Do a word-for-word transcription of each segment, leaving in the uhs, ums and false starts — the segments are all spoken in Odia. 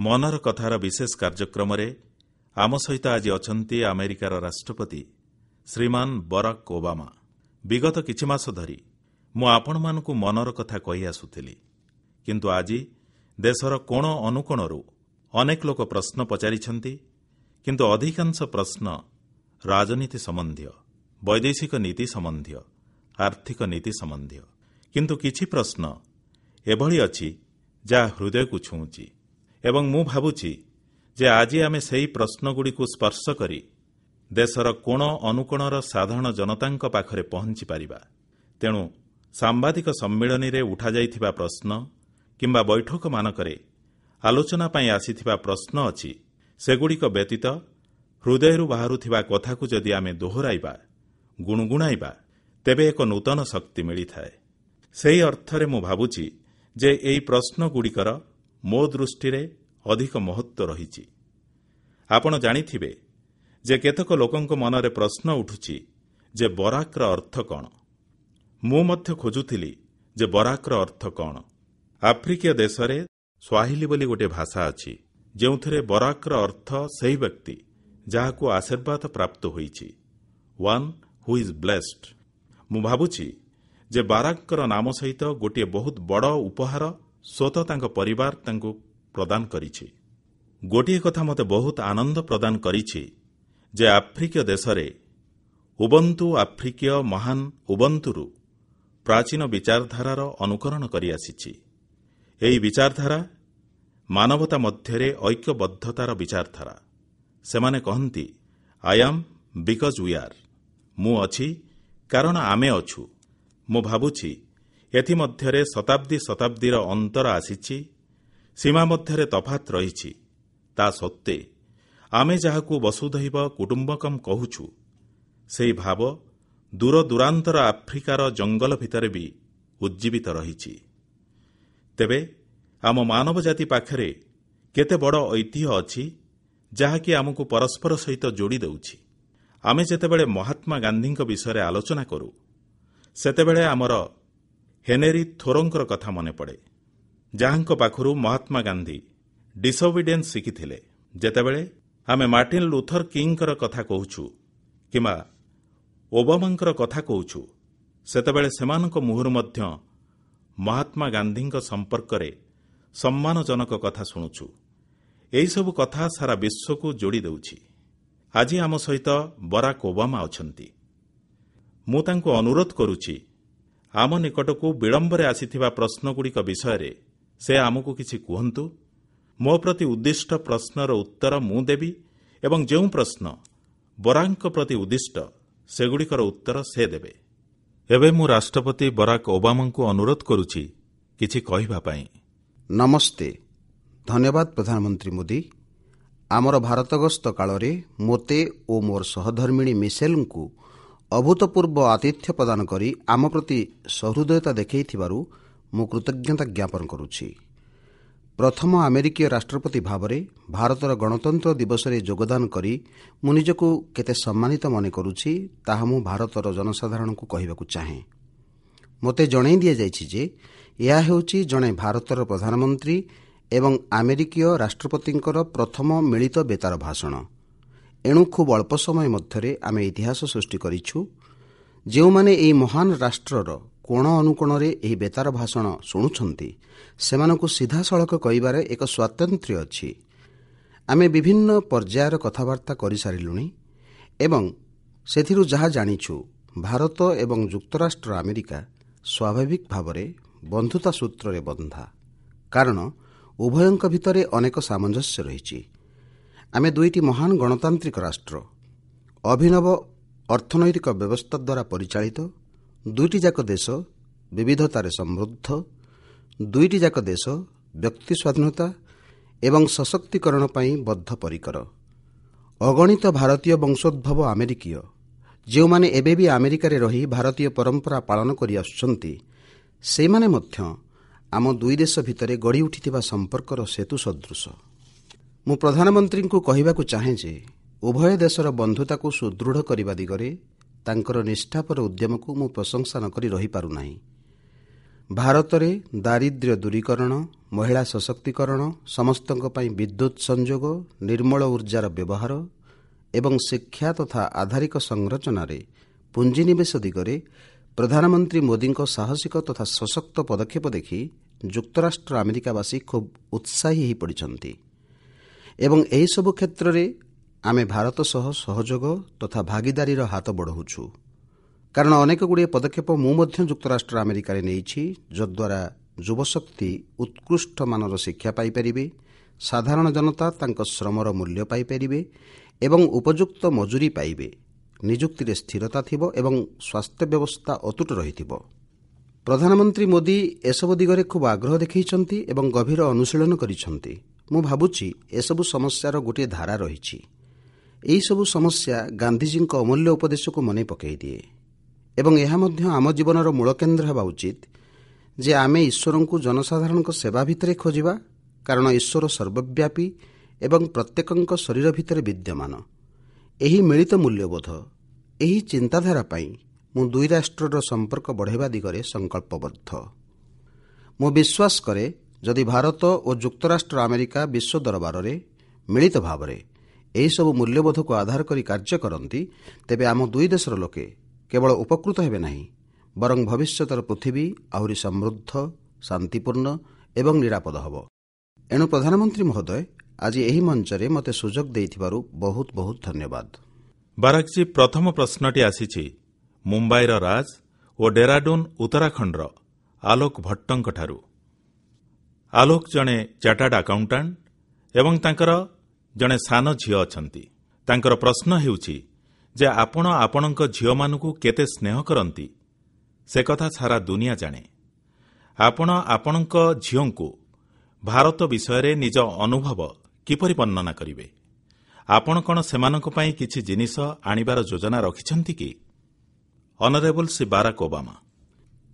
ମନର କଥାର ବିଶେଷ କାର୍ଯ୍ୟକ୍ରମରେ ଆମ ସହିତ ଆଜି ଅଛନ୍ତି ଆମେରିକାର ରାଷ୍ଟ୍ରପତି ଶ୍ରୀମାନ ବରାକ ଓବାମା। ବିଗତ କିଛି ମାସ ଧରି ମୁଁ ଆପଣମାନଙ୍କୁ ମନର କଥା କହି ଆସୁଥିଲି, କିନ୍ତୁ ଆଜି ଦେଶର କୋଣ ଅନୁକୋଣରୁ ଅନେକ ଲୋକ ପ୍ରଶ୍ନ ପଚାରିଛନ୍ତି, କିନ୍ତୁ ଅଧିକାଂଶ ପ୍ରଶ୍ନ ରାଜନୀତି ସମ୍ବନ୍ଧୀୟ, ବୈଦେଶିକ ନୀତି ସମ୍ବନ୍ଧୀୟ, ଆର୍ଥିକ ନୀତି ସମ୍ବନ୍ଧୀୟ। କିନ୍ତୁ କିଛି ପ୍ରଶ୍ନ ଏଭଳି ଅଛି ଯାହା ହୃଦୟକୁ ଛୁଉଁଛି ଏବଂ ମୁଁ ଭାବୁଛି ଯେ ଆଜି ଆମେ ସେହି ପ୍ରଶ୍ନଗୁଡ଼ିକୁ ସ୍ପର୍ଶ କରି ଦେଶର କୋଣ ଅନୁକୋଣର ସାଧାରଣ ଜନତାଙ୍କ ପାଖରେ ପହଂଚିପାରିବା। ତେଣୁ ସାମ୍ବାଦିକ ସମ୍ମିଳନୀରେ ଉଠାଯାଇଥିବା ପ୍ରଶ୍ନ କିମ୍ବା ବୈଠକମାନଙ୍କରେ ଆଲୋଚନା ପାଇଁ ଆସିଥିବା ପ୍ରଶ୍ନ ଅଛି, ସେଗୁଡ଼ିକ ବ୍ୟତୀତ ହୃଦୟରୁ ବାହାରୁଥିବା କଥାକୁ ଯଦି ଆମେ ଦୋହରାଇବା, ଗୁଣୁଗୁଣାଇବା, ତେବେ ଏକ ନୂତନ ଶକ୍ତି ମିଳିଥାଏ। ସେହି ଅର୍ଥରେ ମୁଁ ଭାବୁଛି ଯେ ଏହି ପ୍ରଶ୍ନଗୁଡ଼ିକର ମୋ ଦୃଷ୍ଟିରେ ଅଧିକ ମହତ୍ୱ ରହିଛି। ଆପଣ ଜାଣିଥିବେ ଯେ କେତେକ ଲୋକଙ୍କ ମନରେ ପ୍ରଶ୍ନ ଉଠୁଛି ଯେ ବରାକର ଅର୍ଥ କଣ? ମୁଁ ମଧ୍ୟ ଖୋଜୁଥିଲି ଯେ ବରାକର ଅର୍ଥ କଣ? ଆଫ୍ରିକୀୟ ଦେଶରେ ସ୍ୱାହିଲି ବୋଲି ଗୋଟିଏ ଭାଷା ଅଛି, ଯେଉଁଥିରେ ବରାକର ଅର୍ଥ ସେହି ବ୍ୟକ୍ତି ଯାହାକୁ ଆଶୀର୍ବାଦ ପ୍ରାପ୍ତ ହୋଇଛି, ୱାନ୍ who is blessed. ମୁଁ ଭାବୁଛି ଯେ ବାରାକଙ୍କର ନାମ ସହିତ ଗୋଟିଏ ବହୁତ ବଡ଼ ଉପହାର ସ୍ୱତଃ ତାଙ୍କ ପରିବାର ତାଙ୍କୁ ପ୍ରଦାନ କରିଛି। ଗୋଟିଏ କଥା ମୋତେ ବହୁତ ଆନନ୍ଦ ପ୍ରଦାନ କରିଛି ଯେ ଆଫ୍ରିକୀୟ ଦେଶରେ ଉବନ୍ତୁ ଆଫ୍ରିକୀୟ ମହାନ ଉବନ୍ତୁରୁ ପ୍ରାଚୀନ ବିଚାରଧାରାର ଅନୁକରଣ କରିଆସିଛି। ଏହି ବିଚାରଧାରା ମାନବତା ମଧ୍ୟରେ ଐକ୍ୟବଦ୍ଧତାର ବିଚାରଧାରା। ସେମାନେ କହନ୍ତି, I am because we are. ମୁଁ ଅଛି କାରଣ ଆମେ ଅଛୁ। ମୁଁ ଭାବୁଛି ଏଥିମଧ୍ୟରେ ଶତାବ୍ଦୀ ଶତାବ୍ଦୀର ଅନ୍ତର ଆସିଛି, ସୀମା ମଧ୍ୟରେ ତଫାତ ରହିଛି। ତା ସତ୍ତ୍ୱେ ଆମେ ଯାହାକୁ ବସୁଧୈବ କୁଟୁମ୍ବକମ୍ କହୁଛୁ, ସେହି ଭାବ ଦୂରଦୂରାନ୍ତର ଆଫ୍ରିକାର ଜଙ୍ଗଲ ଭିତରେ ବି ଉଜ୍ଜୀବିତ ରହିଛି। ତେବେ ଆମ ମାନବ ଜାତି ପାଖରେ କେତେ ବଡ଼ ଐତିହ୍ୟ ଅଛି, ଯାହାକି ଆମକୁ ପରସ୍ପର ସହିତ ଯୋଡ଼ି ଦେଉଛି। ଆମେ ଯେତେବେଳେ ମହାତ୍ମା ଗାନ୍ଧୀଙ୍କ ବିଷୟରେ ଆଲୋଚନା କରୁ, ସେତେବେଳେ ଆମର ହେନେରୀ ଥୋରୋଙ୍କର କଥା ମନେପଡ଼େ, ଯାହାଙ୍କ ପାଖରୁ ମହାତ୍ମା ଗାନ୍ଧୀ ଡିସୋବିଡିଏନ୍ସ ଶିଖିଥିଲେ। ଯେତେବେଳେ ଆମେ ମାର୍ଟିନ ଲୁଥର କିଙ୍ଗଙ୍କର କଥା କହୁଛୁ କିମ୍ବା ଓବାମାଙ୍କର କଥା କହୁଛୁ, ସେତେବେଳେ ସେମାନଙ୍କ ମୁହଁରୁ ମଧ୍ୟ ମହାତ୍ମା ଗାନ୍ଧୀଙ୍କ ସମ୍ପର୍କରେ ସମ୍ମାନଜନକ କଥା ଶୁଣୁଛୁ। ଏହିସବୁ କଥା ସାରା ବିଶ୍ୱକୁ ଯୋଡ଼ି ଦେଉଛି। ଆଜି ଆମ ସହିତ ବରାକ ଓବାମା ଅଛନ୍ତି। ମୁଁ ତାଙ୍କୁ ଅନୁରୋଧ କରୁଛି, ଆମ ନିକଟକୁ ବିଳମ୍ବରେ ଆସିଥିବା ପ୍ରଶ୍ନଗୁଡ଼ିକ ବିଷୟରେ ସେ ଆମକୁ କିଛି କୁହନ୍ତୁ। ମୋ ପ୍ରତି ଉଦ୍ଦିଷ୍ଟ ପ୍ରଶ୍ନର ଉତ୍ତର ମୁଁ ଦେବି ଏବଂ ଯେଉଁ ପ୍ରଶ୍ନ ବରାକଙ୍କ ପ୍ରତି ଉଦ୍ଦିଷ୍ଟ, ସେଗୁଡ଼ିକର ଉତ୍ତର ସେ ଦେବେ। ଏବେ ମୁଁ ରାଷ୍ଟ୍ରପତି ବରାକ ଓବାମାଙ୍କୁ ଅନୁରୋଧ କରୁଛି କିଛି କହିବା ପାଇଁ। ନମସ୍ତେ। ଧନ୍ୟବାଦ ପ୍ରଧାନମନ୍ତ୍ରୀ ମୋଦି। ଆମର ଭାରତ ଗସ୍ତ କାଳରେ ମୋତେ ଓ ମୋର ସହଧର୍ମିଣୀ ମିସେଲଙ୍କୁ ଅଭୂତପୂର୍ବ ଆତିଥ୍ୟ ପ୍ରଦାନ କରି ଆମ ପ୍ରତି ସହୃଦୟତା ଦେଖାଇଥିବାରୁ ମୁଁ କୃତଜ୍ଞତା ଜ୍ଞାପନ କରୁଛି। ପ୍ରଥମ ଆମେରିକୀୟ ରାଷ୍ଟ୍ରପତି ଭାବରେ ଭାରତର ଗଣତନ୍ତ୍ର ଦିବସରେ ଯୋଗଦାନ କରି ମୁଁ ନିଜକୁ କେତେ ସମ୍ମାନିତ ମନେ କରୁଛି, ତାହା ମୁଁ ଭାରତର ଜନସାଧାରଣଙ୍କୁ କହିବାକୁ ଚାହେଁ। ମୋତେ ଜଣାଇ ଦିଆଯାଇଛି ଯେ ଏହା ହେଉଛି ଜଣେ ଭାରତର ପ୍ରଧାନମନ୍ତ୍ରୀ ଏବଂ ଆମେରିକୀୟ ରାଷ୍ଟ୍ରପତିଙ୍କର ପ୍ରଥମ ମିଳିତ ବେତାର ଭାଷଣ। ଏଣୁ ଖୁବ୍ ଅଳ୍ପ ସମୟ ମଧ୍ୟରେ ଆମେ ଇତିହାସ ସୃଷ୍ଟି କରିଛୁ। ଯେଉଁମାନେ ଏହି ମହାନ ରାଷ୍ଟ୍ରର କୋଣ ଅନୁକୋଣରେ ଏହି ବେତାର ଭାଷଣ ଶୁଣୁଛନ୍ତି, ସେମାନଙ୍କୁ ସିଧାସଳଖ କହିବାରେ ଏକ ସ୍ୱାତନ୍ତ୍ର୍ୟ ଅଛି। ଆମେ ବିଭିନ୍ନ ପର୍ଯ୍ୟାୟର କଥାବାର୍ତ୍ତା କରିସାରିଲୁଣି ଏବଂ ସେଥିରୁ ଯାହା ଜାଣିଛୁ, ଭାରତ ଏବଂ ଯୁକ୍ତରାଷ୍ଟ୍ର ଆମେରିକା ସ୍ୱାଭାବିକ ଭାବରେ ବନ୍ଧୁତା ସୂତ୍ରରେ ବନ୍ଧା, କାରଣ ଉଭୟଙ୍କ ଭିତରେ ଅନେକ ସାମଞ୍ଜସ୍ୟ ରହିଛି। ଆମେ ଦୁଇଟି ମହାନ ଗଣତାନ୍ତ୍ରିକ ରାଷ୍ଟ୍ର, ଅଭିନବ ଅର୍ଥନୈତିକ ବ୍ୟବସ୍ଥା ଦ୍ୱାରା ପରିଚାଳିତ। ଦୁଇଟି ଯାକ ଦେଶ ବିବିଧତାରେ ସମୃଦ୍ଧ। ଦୁଇଟି ଯାକ ଦେଶ ବ୍ୟକ୍ତି ସ୍ୱାଧୀନତା ଏବଂ ସଶକ୍ତିକରଣ ପାଇଁ ବଦ୍ଧପରିକର। ଅଗଣିତ ଭାରତୀୟ ବଂଶୋଦ୍ଭବ ଆମେରିକୀୟ, ଯେଉଁମାନେ ଏବେ ବି ଆମେରିକାରେ ରହି ଭାରତୀୟ ପରମ୍ପରା ପାଳନ କରିଆସୁଛନ୍ତି, ସେମାନେ ମଧ୍ୟ ଆମ ଦୁଇ ଦେଶ ଭିତରେ ଗଢ଼ି ଉଠିଥିବା ସମ୍ପର୍କର ସେତୁ ସଦୃଶ। ମୁଁ ପ୍ରଧାନମନ୍ତ୍ରୀଙ୍କୁ କହିବାକୁ ଚାହେଁ ଯେ ଉଭୟ ଦେଶର ବନ୍ଧୁତାକୁ ସୁଦୃଢ଼ କରିବା ଦିଗରେ ତାଙ୍କର ନିଷ୍ଠାପର ଉଦ୍ୟମକୁ ମୁଁ ପ୍ରଶଂସା ନ କରି ରହିପାରୁନାହିଁ। ଭାରତରେ ଦାରିଦ୍ର୍ୟ ଦୂରୀକରଣ, ମହିଳା ସଶକ୍ତିକରଣ, ସମସ୍ତଙ୍କ ପାଇଁ ବିଦ୍ୟୁତ ସଂଯୋଗ, ନିର୍ମଳ ଉର୍ଜାର ବ୍ୟବହାର ଏବଂ ଶିକ୍ଷା ତଥା ଆଧାରିକ ସଂରଚନାରେ ପୁଞ୍ଜିନିବେଶ ଦିଗରେ ପ୍ରଧାନମନ୍ତ୍ରୀ ମୋଦିଙ୍କ ସାହସିକ ତଥା ସଶକ୍ତ ପଦକ୍ଷେପ ଦେଖି ଯୁକ୍ତରାଷ୍ଟ୍ର ଆମେରିକାବାସୀ ଖୁବ୍ ଉତ୍ସାହୀ ହୋଇପଡ଼ିଛନ୍ତି ଏବଂ ଏହିସବୁ କ୍ଷେତ୍ରରେ ଆମେ ଭାରତ ସହ ସହଯୋଗ ତଥା ଭାଗିଦାରୀର ହାତ ବଢ଼ାଉଛୁ। କାରଣ ଅନେକଗୁଡ଼ିଏ ପଦକ୍ଷେପ ମୁଁ ମଧ୍ୟ ଯୁକ୍ତରାଷ୍ଟ୍ର ଆମେରିକାରେ ନେଇଛି, ଯଦ୍ୱାରା ଯୁବଶକ୍ତି ଉତ୍କୃଷ୍ଟ ମାନର ଶିକ୍ଷା ପାଇପାରିବେ, ସାଧାରଣ ଜନତା ତାଙ୍କ ଶ୍ରମର ମୂଲ୍ୟ ପାଇପାରିବେ ଏବଂ ଉପଯୁକ୍ତ ମଜୁରୀ ପାଇବେ, ନିଯୁକ୍ତିରେ ସ୍ଥିରତା ଥିବ ଏବଂ ସ୍ୱାସ୍ଥ୍ୟ ବ୍ୟବସ୍ଥା ଅତୁଟ ରହିଥିବ। ପ୍ରଧାନମନ୍ତ୍ରୀ ମୋଦି ଏସବୁ ଦିଗରେ ଖୁବ୍ ଆଗ୍ରହ ଦେଖାଇଛନ୍ତି ଏବଂ ଗଭୀର ଅନୁଶୀଳନ କରିଛନ୍ତି। ମୁଁ ଭାବୁଛି ଏସବୁ ସମସ୍ୟାର ଗୋଟିଏ ଧାରା ରହିଛି। ଏହିସବୁ ସମସ୍ୟା ଗାନ୍ଧିଜୀଙ୍କ ଅମୂଲ୍ୟ ଉପଦେଶକୁ ମନେ ପକାଇଦିଏ ଏବଂ ଏହା ମଧ୍ୟ ଆମ ଜୀବନର ମୂଳ କେନ୍ଦ୍ର ହେବା ଉଚିତ ଯେ ଆମେ ଈଶ୍ୱରଙ୍କୁ ଜନସାଧାରଣଙ୍କ ସେବା ଭିତରେ ଖୋଜିବା, କାରଣ ଈଶ୍ୱର ସର୍ବବ୍ୟାପୀ ଏବଂ ପ୍ରତ୍ୟେକଙ୍କ ଶରୀର ଭିତରେ ବିଦ୍ୟମାନ। ଏହି ମିଳିତ ମୂଲ୍ୟବୋଧ, ଏହି ଚିନ୍ତାଧାରା ପାଇଁ ମୁଁ ଦୁଇ ରାଷ୍ଟ୍ରର ସମ୍ପର୍କ ବଢ଼ାଇବା ଦିଗରେ ସଂକଳ୍ପବଦ୍ଧ। ମୁଁ ବିଶ୍ୱାସ କରେ ଯଦି ଭାରତ ଓ ଯୁକ୍ତରାଷ୍ଟ୍ର ଆମେରିକା ବିଶ୍ୱ ଦରବାରରେ ମିଳିତ ଭାବରେ ଏହିସବୁ ମୂଲ୍ୟବୋଧକୁ ଆଧାର କରି କାର୍ଯ୍ୟ କରନ୍ତି, ତେବେ ଆମ ଦୁଇ ଦେଶର ଲୋକେ କେବଳ ଉପକୃତ ହେବେ ନାହିଁ, ବରଂ ଭବିଷ୍ୟତର ପୃଥିବୀ ଆହୁରି ସମୃଦ୍ଧ, ଶାନ୍ତିପୂର୍ଣ୍ଣ ଏବଂ ନିରାପଦ ହେବ। ଏଣୁ ପ୍ରଧାନମନ୍ତ୍ରୀ ମହୋଦୟ, ଆଜି ଏହି ମଞ୍ଚରେ ମୋତେ ସୁଯୋଗ ଦେଇଥିବାରୁ ବହୁତ ବହୁତ ଧନ୍ୟବାଦ। ବାରାକଜୀ, ପ୍ରଥମ ପ୍ରଶ୍ନଟି ଆସିଛି ମୁମ୍ବାଇର ରାଜ ଓ ଡେରାଡୁନ୍ ଉତ୍ତରାଖଣ୍ଡର ଆଲୋକ ଭଟ୍ଟଙ୍କଠାରୁ। ଆଲୋକ ଜଣେ ଚାର୍ଟାର୍ଡ ଆକାଉଣ୍ଟାଣ୍ଟ ଏବଂ ତାଙ୍କର ଜଣେ ସାନ ଝିଅ ଅଛନ୍ତି। ତାଙ୍କର ପ୍ରଶ୍ନ ହେଉଛି ଯେ ଆପଣ ଆପଣଙ୍କ ଝିଅମାନଙ୍କୁ କେତେ ସ୍ନେହ କରନ୍ତି ସେ କଥା ସାରା ଦୁନିଆ ଜାଣେ। ଆପଣ ଆପଣଙ୍କ ଝିଅଙ୍କୁ ଭାରତ ବିଷୟରେ ନିଜ ଅନୁଭବ କିପରି ବର୍ଣ୍ଣନା କରିବେ? ଆପଣ କଣ ସେମାନଙ୍କ ପାଇଁ କିଛି ଜିନିଷ ଆଣିବାର ଯୋଜନା ରଖିଛନ୍ତି କି? Honourable Shri Barack Obama.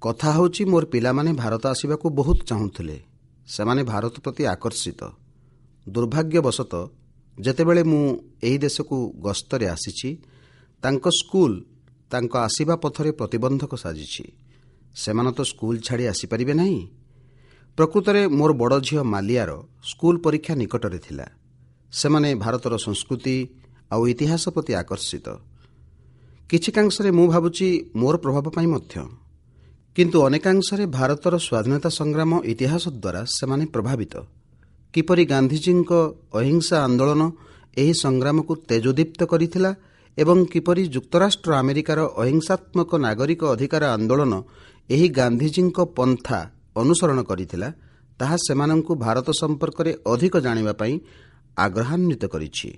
କଥା ହେଉଛି, ମୋର ପିଲାମାନେ ଭାରତ ଆସିବାକୁ ବହୁତ ଚାହୁଁଥିଲେ। ସେମାନେ ଭାରତ ପ୍ରତି ଆକର୍ଷିତ। ଦୁର୍ଭାଗ୍ୟବଶତଃ ଯେତେବେଳେ ମୁଁ ଏହି ଦେଶକୁ ଗସ୍ତରେ ଆସିଛି, ତାଙ୍କ ସ୍କୁଲ ତାଙ୍କ ଆସିବା ପଥରେ ପ୍ରତିବନ୍ଧକ ସାଜିଛି। ସେମାନେ ତ ସ୍କୁଲ ଛାଡ଼ି ଆସିପାରିବେ ନାହିଁ। ପ୍ରକୃତରେ ମୋର ବଡ଼ ଝିଅ ମାଲିଆର ସ୍କୁଲ ପରୀକ୍ଷା ନିକଟରେ ଥିଲା। ସେମାନେ ଭାରତର ସଂସ୍କୃତି ଆଉ ଇତିହାସ ପ୍ରତି ଆକର୍ଷିତ। କିଛିକାଂଶରେ ମୁଁ ଭାବୁଛି ମୋର ପ୍ରଭାବ ପାଇଁ ମଧ୍ୟ, କିନ୍ତୁ ଅନେକାଂଶରେ ଭାରତର ସ୍ୱାଧୀନତା ସଂଗ୍ରାମ ଇତିହାସ ଦ୍ୱାରା ସେମାନେ ପ୍ରଭାବିତ। କିପରି ଗାନ୍ଧିଜୀଙ୍କ ଅହିଂସା ଆନ୍ଦୋଳନ ଏହି ସଂଗ୍ରାମକୁ ତେଜୋଦୀପ୍ତ କରିଥିଲା ଏବଂ କିପରି ଯୁକ୍ତରାଷ୍ଟ୍ର ଆମେରିକାର ଅହିଂସାତ୍ମକ ନାଗରିକ ଅଧିକାର ଆନ୍ଦୋଳନ ଏହି ଗାନ୍ଧିଜୀଙ୍କ ପନ୍ଥା ଅନୁସରଣ କରିଥିଲା, ତାହା ସେମାନଙ୍କୁ ଭାରତ ସମ୍ପର୍କରେ ଅଧିକ ଜାଣିବା ପାଇଁ ଆଗ୍ରହାନ୍ୱିତ କରିଛି।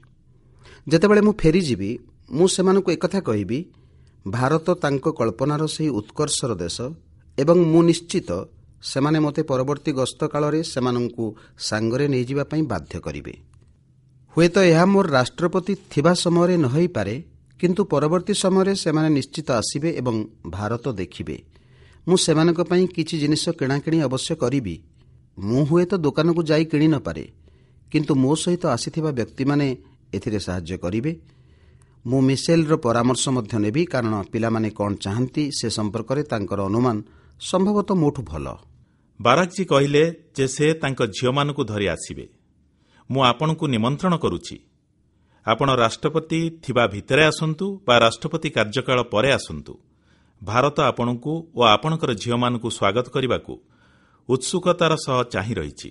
ଯେତେବେଳେ ମୁଁ ଫେରିଯିବି, ମୁଁ ସେମାନଙ୍କୁ ଏକଥା କହିବି, ଭାରତ ତାଙ୍କ କଳ୍ପନାର ସେହି ଉତ୍କର୍ଷର ଦେଶ ଏବଂ ମୁଁ ନିଶ୍ଚିତ ସେମାନେ ମୋତେ ପରବର୍ତ୍ତୀ ଗସ୍ତ କାଳରେ ସେମାନଙ୍କୁ ସାଙ୍ଗରେ ନେଇଯିବା ପାଇଁ ବାଧ୍ୟ କରିବେ। ହୁଏତ ଏହା ମୋର ରାଷ୍ଟ୍ରପତି ଥିବା ସମୟରେ ନ ହୋଇପାରେ, କିନ୍ତୁ ପରବର୍ତ୍ତୀ ସମୟରେ ସେମାନେ ନିଶ୍ଚିତ ଆସିବେ ଏବଂ ଭାରତ ଦେଖିବେ। ମୁଁ ସେମାନଙ୍କ ପାଇଁ କିଛି ଜିନିଷ କିଣାକିଣି ଅବଶ୍ୟ କରିବି। ମୁଁ ହୁଏତ ଦୋକାନକୁ ଯାଇ କିଣି ନପାରେ, କିନ୍ତୁ ମୋ ସହିତ ଆସିଥିବା ବ୍ୟକ୍ତିମାନେ ଏଥିରେ ସାହାଯ୍ୟ କରିବେ। ମୁଁ ମିସେଲର ପରାମର୍ଶ ମଧ୍ୟ ନେବି, କାରଣ ପିଲାମାନେ କ'ଣ ଚାହାନ୍ତି ସେ ସମ୍ପର୍କରେ ତାଙ୍କର ଅନୁମାନ ସମ୍ଭବତଃ ମୋଠୁ ଭଲ। ବାରାକଜୀ କହିଲେ ଯେ ସେ ତାଙ୍କ ଝିଅମାନଙ୍କୁ ଧରି ଆସିବେ। ମୁଁ ଆପଣଙ୍କୁ ନିମନ୍ତ୍ରଣ କରୁଛି। ଆପଣ ରାଷ୍ଟ୍ରପତି ଥିବା ଭିତରେ ଆସନ୍ତୁ ବା ରାଷ୍ଟ୍ରପତି କାର୍ଯ୍ୟକାଳ ପରେ ଆସନ୍ତୁ, ଭାରତ ଆପଣଙ୍କୁ ଓ ଆପଣଙ୍କର ଝିଅମାନଙ୍କୁ ସ୍ୱାଗତ କରିବାକୁ ଉତ୍ସୁକତାର ସହ ଚାହିଁ ରହିଛି।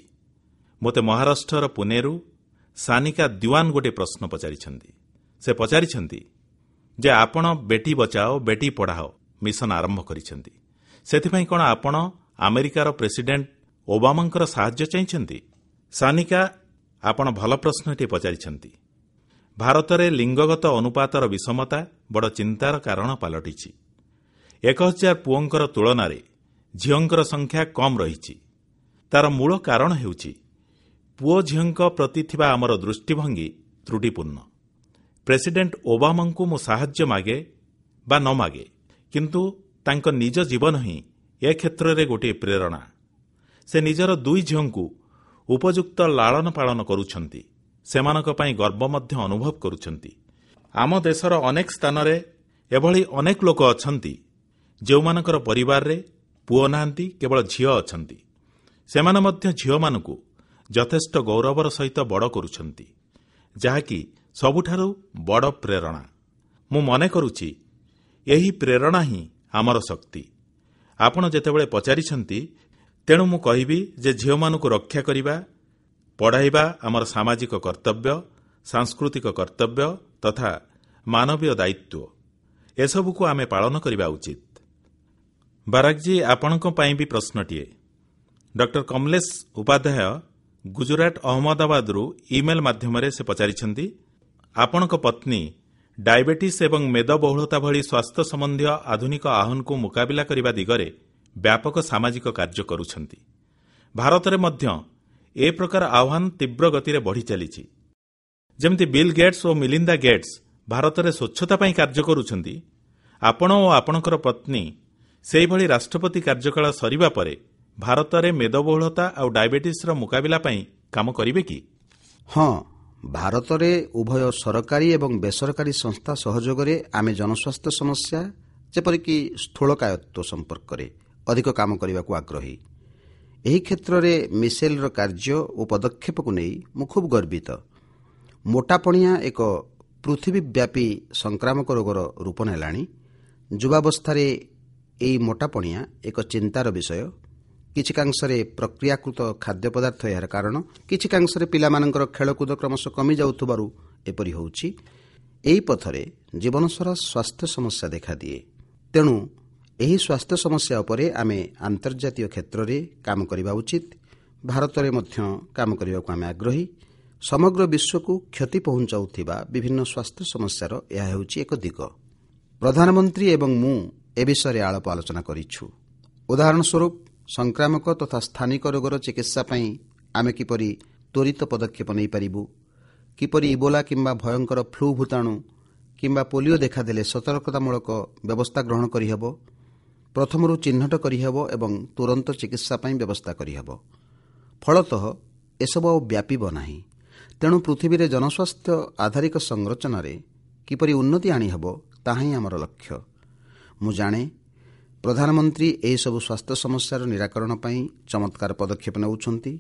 ମୋତେ ମହାରାଷ୍ଟ୍ରର ପୁନେରୁ ସାନିକା ଦିୱାନ ଗୋଟିଏ ପ୍ରଶ୍ନ ପଚାରିଛନ୍ତି। ସେ ପଚାରିଛନ୍ତି ଯେ ଆପଣ ବେଟି ବଚାଓ ବେଟି ପଢ଼ାଓ ମିଶନ ଆରମ୍ଭ କରିଛନ୍ତି, ସେଥିପାଇଁ କଣ ଆପଣ ଆମେରିକାର ପ୍ରେସିଡେଣ୍ଟ ଓବାମାଙ୍କର ସାହାଯ୍ୟ ଚାହିଁଛନ୍ତି? ସାନିକା, ଆପଣ ଭଲ ପ୍ରଶ୍ନଟିଏ ପଚାରିଛନ୍ତି। ଭାରତରେ ଲିଙ୍ଗଗତ ଅନୁପାତର ବିଷମତା ବଡ଼ ଚିନ୍ତାର କାରଣ ପାଲଟିଛି। ଏକ ହଜାର ପୁଅଙ୍କର ତୁଳନାରେ ଝିଅଙ୍କର ସଂଖ୍ୟା କମ୍ ରହିଛି। ତାର ମୂଳ କାରଣ ହେଉଛି ପୁଅ ଝିଅଙ୍କ ପ୍ରତି ଥିବା ଆମର ଦୃଷ୍ଟିଭଙ୍ଗୀ ତ୍ରୁଟିପୂର୍ଣ୍ଣ। ପ୍ରେସିଡେଣ୍ଟ ଓବାମାଙ୍କୁ ମୁଁ ସାହାଯ୍ୟ ମାଗେ ବା ନ ମାଗେ, କିନ୍ତୁ ତାଙ୍କ ନିଜ ଜୀବନ ହିଁ ଏ କ୍ଷେତ୍ରରେ ଗୋଟିଏ ପ୍ରେରଣା। ସେ ନିଜର ଦୁଇ ଝିଅଙ୍କୁ ଉପଯୁକ୍ତ ଲାଳନ ପାଳନ କରୁଛନ୍ତି, ସେମାନଙ୍କ ପାଇଁ ଗର୍ବ ମଧ୍ୟ ଅନୁଭବ କରୁଛନ୍ତି। ଆମ ଦେଶର ଅନେକ ସ୍ଥାନରେ ଏଭଳି ଅନେକ ଲୋକ ଅଛନ୍ତି ଯେଉଁମାନଙ୍କର ପରିବାରରେ ପୁଅ ନାହାନ୍ତି, କେବଳ ଝିଅ ଅଛନ୍ତି। ସେମାନେ ମଧ୍ୟ ଝିଅମାନଙ୍କୁ ଯଥେଷ୍ଟ ଗୌରବର ସହିତ ବଡ଼ କରୁଛନ୍ତି, ଯାହାକି ସବୁଠାରୁ ବଡ଼ ପ୍ରେରଣା। ମୁଁ ମନେ କରୁଛି ଏହି ପ୍ରେରଣା ହିଁ ଆମର ଶକ୍ତି। ଆପଣ ଯେତେବେଳେ ପଚାରିଛନ୍ତି, ତେଣୁ ମୁଁ କହିବି ଯେ ଝିଅମାନଙ୍କୁ ରକ୍ଷା କରିବା, ପଢ଼ାଇବା ଆମର ସାମାଜିକ କର୍ତ୍ତବ୍ୟ, ସାଂସ୍କୃତିକ କର୍ତ୍ତବ୍ୟ ତଥା ମାନବୀୟ ଦାୟିତ୍ୱ। ଏସବୁକୁ ଆମେ ପାଳନ କରିବା ଉଚିତ। ବାରାକଜୀ, ଆପଣଙ୍କ ପାଇଁ ବି ପ୍ରଶ୍ନଟିଏ। ଡକ୍ଟର କମଲେଶ ଉପାଧ୍ୟାୟ ଗୁଜରାଟ ଅହମ୍ମଦାବାଦରୁ ଇମେଲ ମାଧ୍ୟମରେ ସେ ପଚାରିଛନ୍ତି, ଆପଣଙ୍କ ପତ୍ନୀ ଡାଇବେଟିସ୍ ଏବଂ ମେଦବହୁଳତା ଭଳି ସ୍ୱାସ୍ଥ୍ୟ ସମ୍ବନ୍ଧୀୟ ଆଧୁନିକ ଆହ୍ୱାନକୁ ମୁକାବିଲା କରିବା ଦିଗରେ ବ୍ୟାପକ ସାମାଜିକ କାର୍ଯ୍ୟ କରୁଛନ୍ତି। ଭାରତରେ ମଧ୍ୟ ଏ ପ୍ରକାର ଆହ୍ୱାନ ତୀବ୍ର ଗତିରେ ବଢ଼ି ଚାଲିଛି। ଯେମିତି ବିଲ୍ ଗେଟ୍ସ ଓ ମିଲିନ୍ଦା ଗେଟ୍ସ ଭାରତରେ ସ୍ୱଚ୍ଛତା ପାଇଁ କାର୍ଯ୍ୟ କରୁଛନ୍ତି, ଆପଣ ଓ ଆପଣଙ୍କର ପତ୍ନୀ ସେହିଭଳି ରାଷ୍ଟ୍ରପତି କାର୍ଯ୍ୟକାଳ ସରିବା ପରେ ଭାରତରେ ମେଦବହୁଳତା ଆଉ ଡାଇବେଟିସ୍ର ମୁକାବିଲା ପାଇଁ କାମ କରିବେ କି? ହଁ, ଭାରତରେ ଉଭୟ ସରକାରୀ ଏବଂ ବେସରକାରୀ ସଂସ୍ଥା ସହଯୋଗରେ ଆମେ ଜନସ୍ୱାସ୍ଥ୍ୟ ସମସ୍ୟା ଯେପରିକି ସ୍ଥୂଳକାୟତ୍ୱ ସମ୍ପର୍କରେ ଅଧିକ କାମ କରିବାକୁ ଆଗ୍ରହୀ। ଏହି କ୍ଷେତ୍ରରେ ମିସେଲର କାର୍ଯ୍ୟ ଓ ପଦକ୍ଷେପକୁ ନେଇ ମୁଁ ଖୁବ୍ ଗର୍ବିତ। ମୋଟାପଣିଆ ଏକ ପୃଥିବୀବ୍ୟାପୀ ସଂକ୍ରାମକ ରୋଗର ରୂପ ନେଲାଣି। ଯୁବାବସ୍ଥାରେ ଏହି ମୋଟାପଣିଆ ଏକ ଚିନ୍ତାର ବିଷୟ। କିଛିକାଂଶରେ ପ୍ରକ୍ରିୟାକୃତ ଖାଦ୍ୟ ପଦାର୍ଥ ଏହାର କାରଣ, କିଛିକାଂଶରେ ପିଲାମାନଙ୍କର ଖେଳକୁଦ କ୍ରମଶଃ କମିଯାଉଥିବାରୁ ଏପରି ହେଉଛି। ଏହି ପଥରେ ଜୀବନସାରା ସ୍ୱାସ୍ଥ୍ୟ ସମସ୍ୟା ଦେଖାଦିଏ। ତେଣୁ ଏହି ସ୍ୱାସ୍ଥ୍ୟ ସମସ୍ୟା ଉପରେ ଆମେ ଆନ୍ତର୍ଜାତୀୟ କ୍ଷେତ୍ରରେ କାମ କରିବା ଉଚିତ। ଭାରତରେ ମଧ୍ୟ କାମ କରିବାକୁ ଆମେ ଆଗ୍ରହୀ। ସମଗ୍ର ବିଶ୍ୱକୁ କ୍ଷତି ପହଞ୍ଚାଉଥିବା ବିଭିନ୍ନ ସ୍ୱାସ୍ଥ୍ୟ ସମସ୍ୟାର ଏହା ହେଉଛି ଏକ ଦିଗ। ପ୍ରଧାନମନ୍ତ୍ରୀ ଏବଂ ମୁଁ ଏ ବିଷୟରେ ଆଳାପ ଆଲୋଚନା କରିଛୁ। ଉଦାହରଣ ସ୍ୱରୂପ, ସଂକ୍ରାମକ ତଥା ସ୍ଥାନିକ ରୋଗର ଚିକିତ୍ସା ପାଇଁ ଆମେ କିପରି ତ୍ୱରିତ ପଦକ୍ଷେପ ନେଇପାରିବୁ, କିପରି ଇବୋଲା କିମ୍ବା ଭୟଙ୍କର ଫ୍ଲୁ ଭୂତାଣୁ କିମ୍ବା ପୋଲିଓ ଦେଖାଦେଲେ ସତର୍କତାମୂଳକ ବ୍ୟବସ୍ଥା ଗ୍ରହଣ କରିହେବ, ପ୍ରଥମରୁ ଚିହ୍ନଟ କରିହେବ ଏବଂ ତୁରନ୍ତ ଚିକିତ୍ସା ପାଇଁ ବ୍ୟବସ୍ଥା କରିହେବ। ଫଳତଃ ଏସବୁ ଆଉ ବ୍ୟାପିବ ନାହିଁ। ତେଣୁ ପୃଥିବୀରେ ଜନସ୍ୱାସ୍ଥ୍ୟ ଆଧାରିକ ସଂରଚନାରେ କିପରି ଉନ୍ନତି ଆଣିହେବ ତାହା ହିଁ ଆମର ଲକ୍ଷ୍ୟ। ମୁଁ ଜାଣେ ପ୍ରଧାନମନ୍ତ୍ରୀ ଏହିସବୁ ସ୍ୱାସ୍ଥ୍ୟ ସମସ୍ୟାର ନିରାକରଣ ପାଇଁ ଚମତ୍କାର ପଦକ୍ଷେପ ନେଉଛନ୍ତି।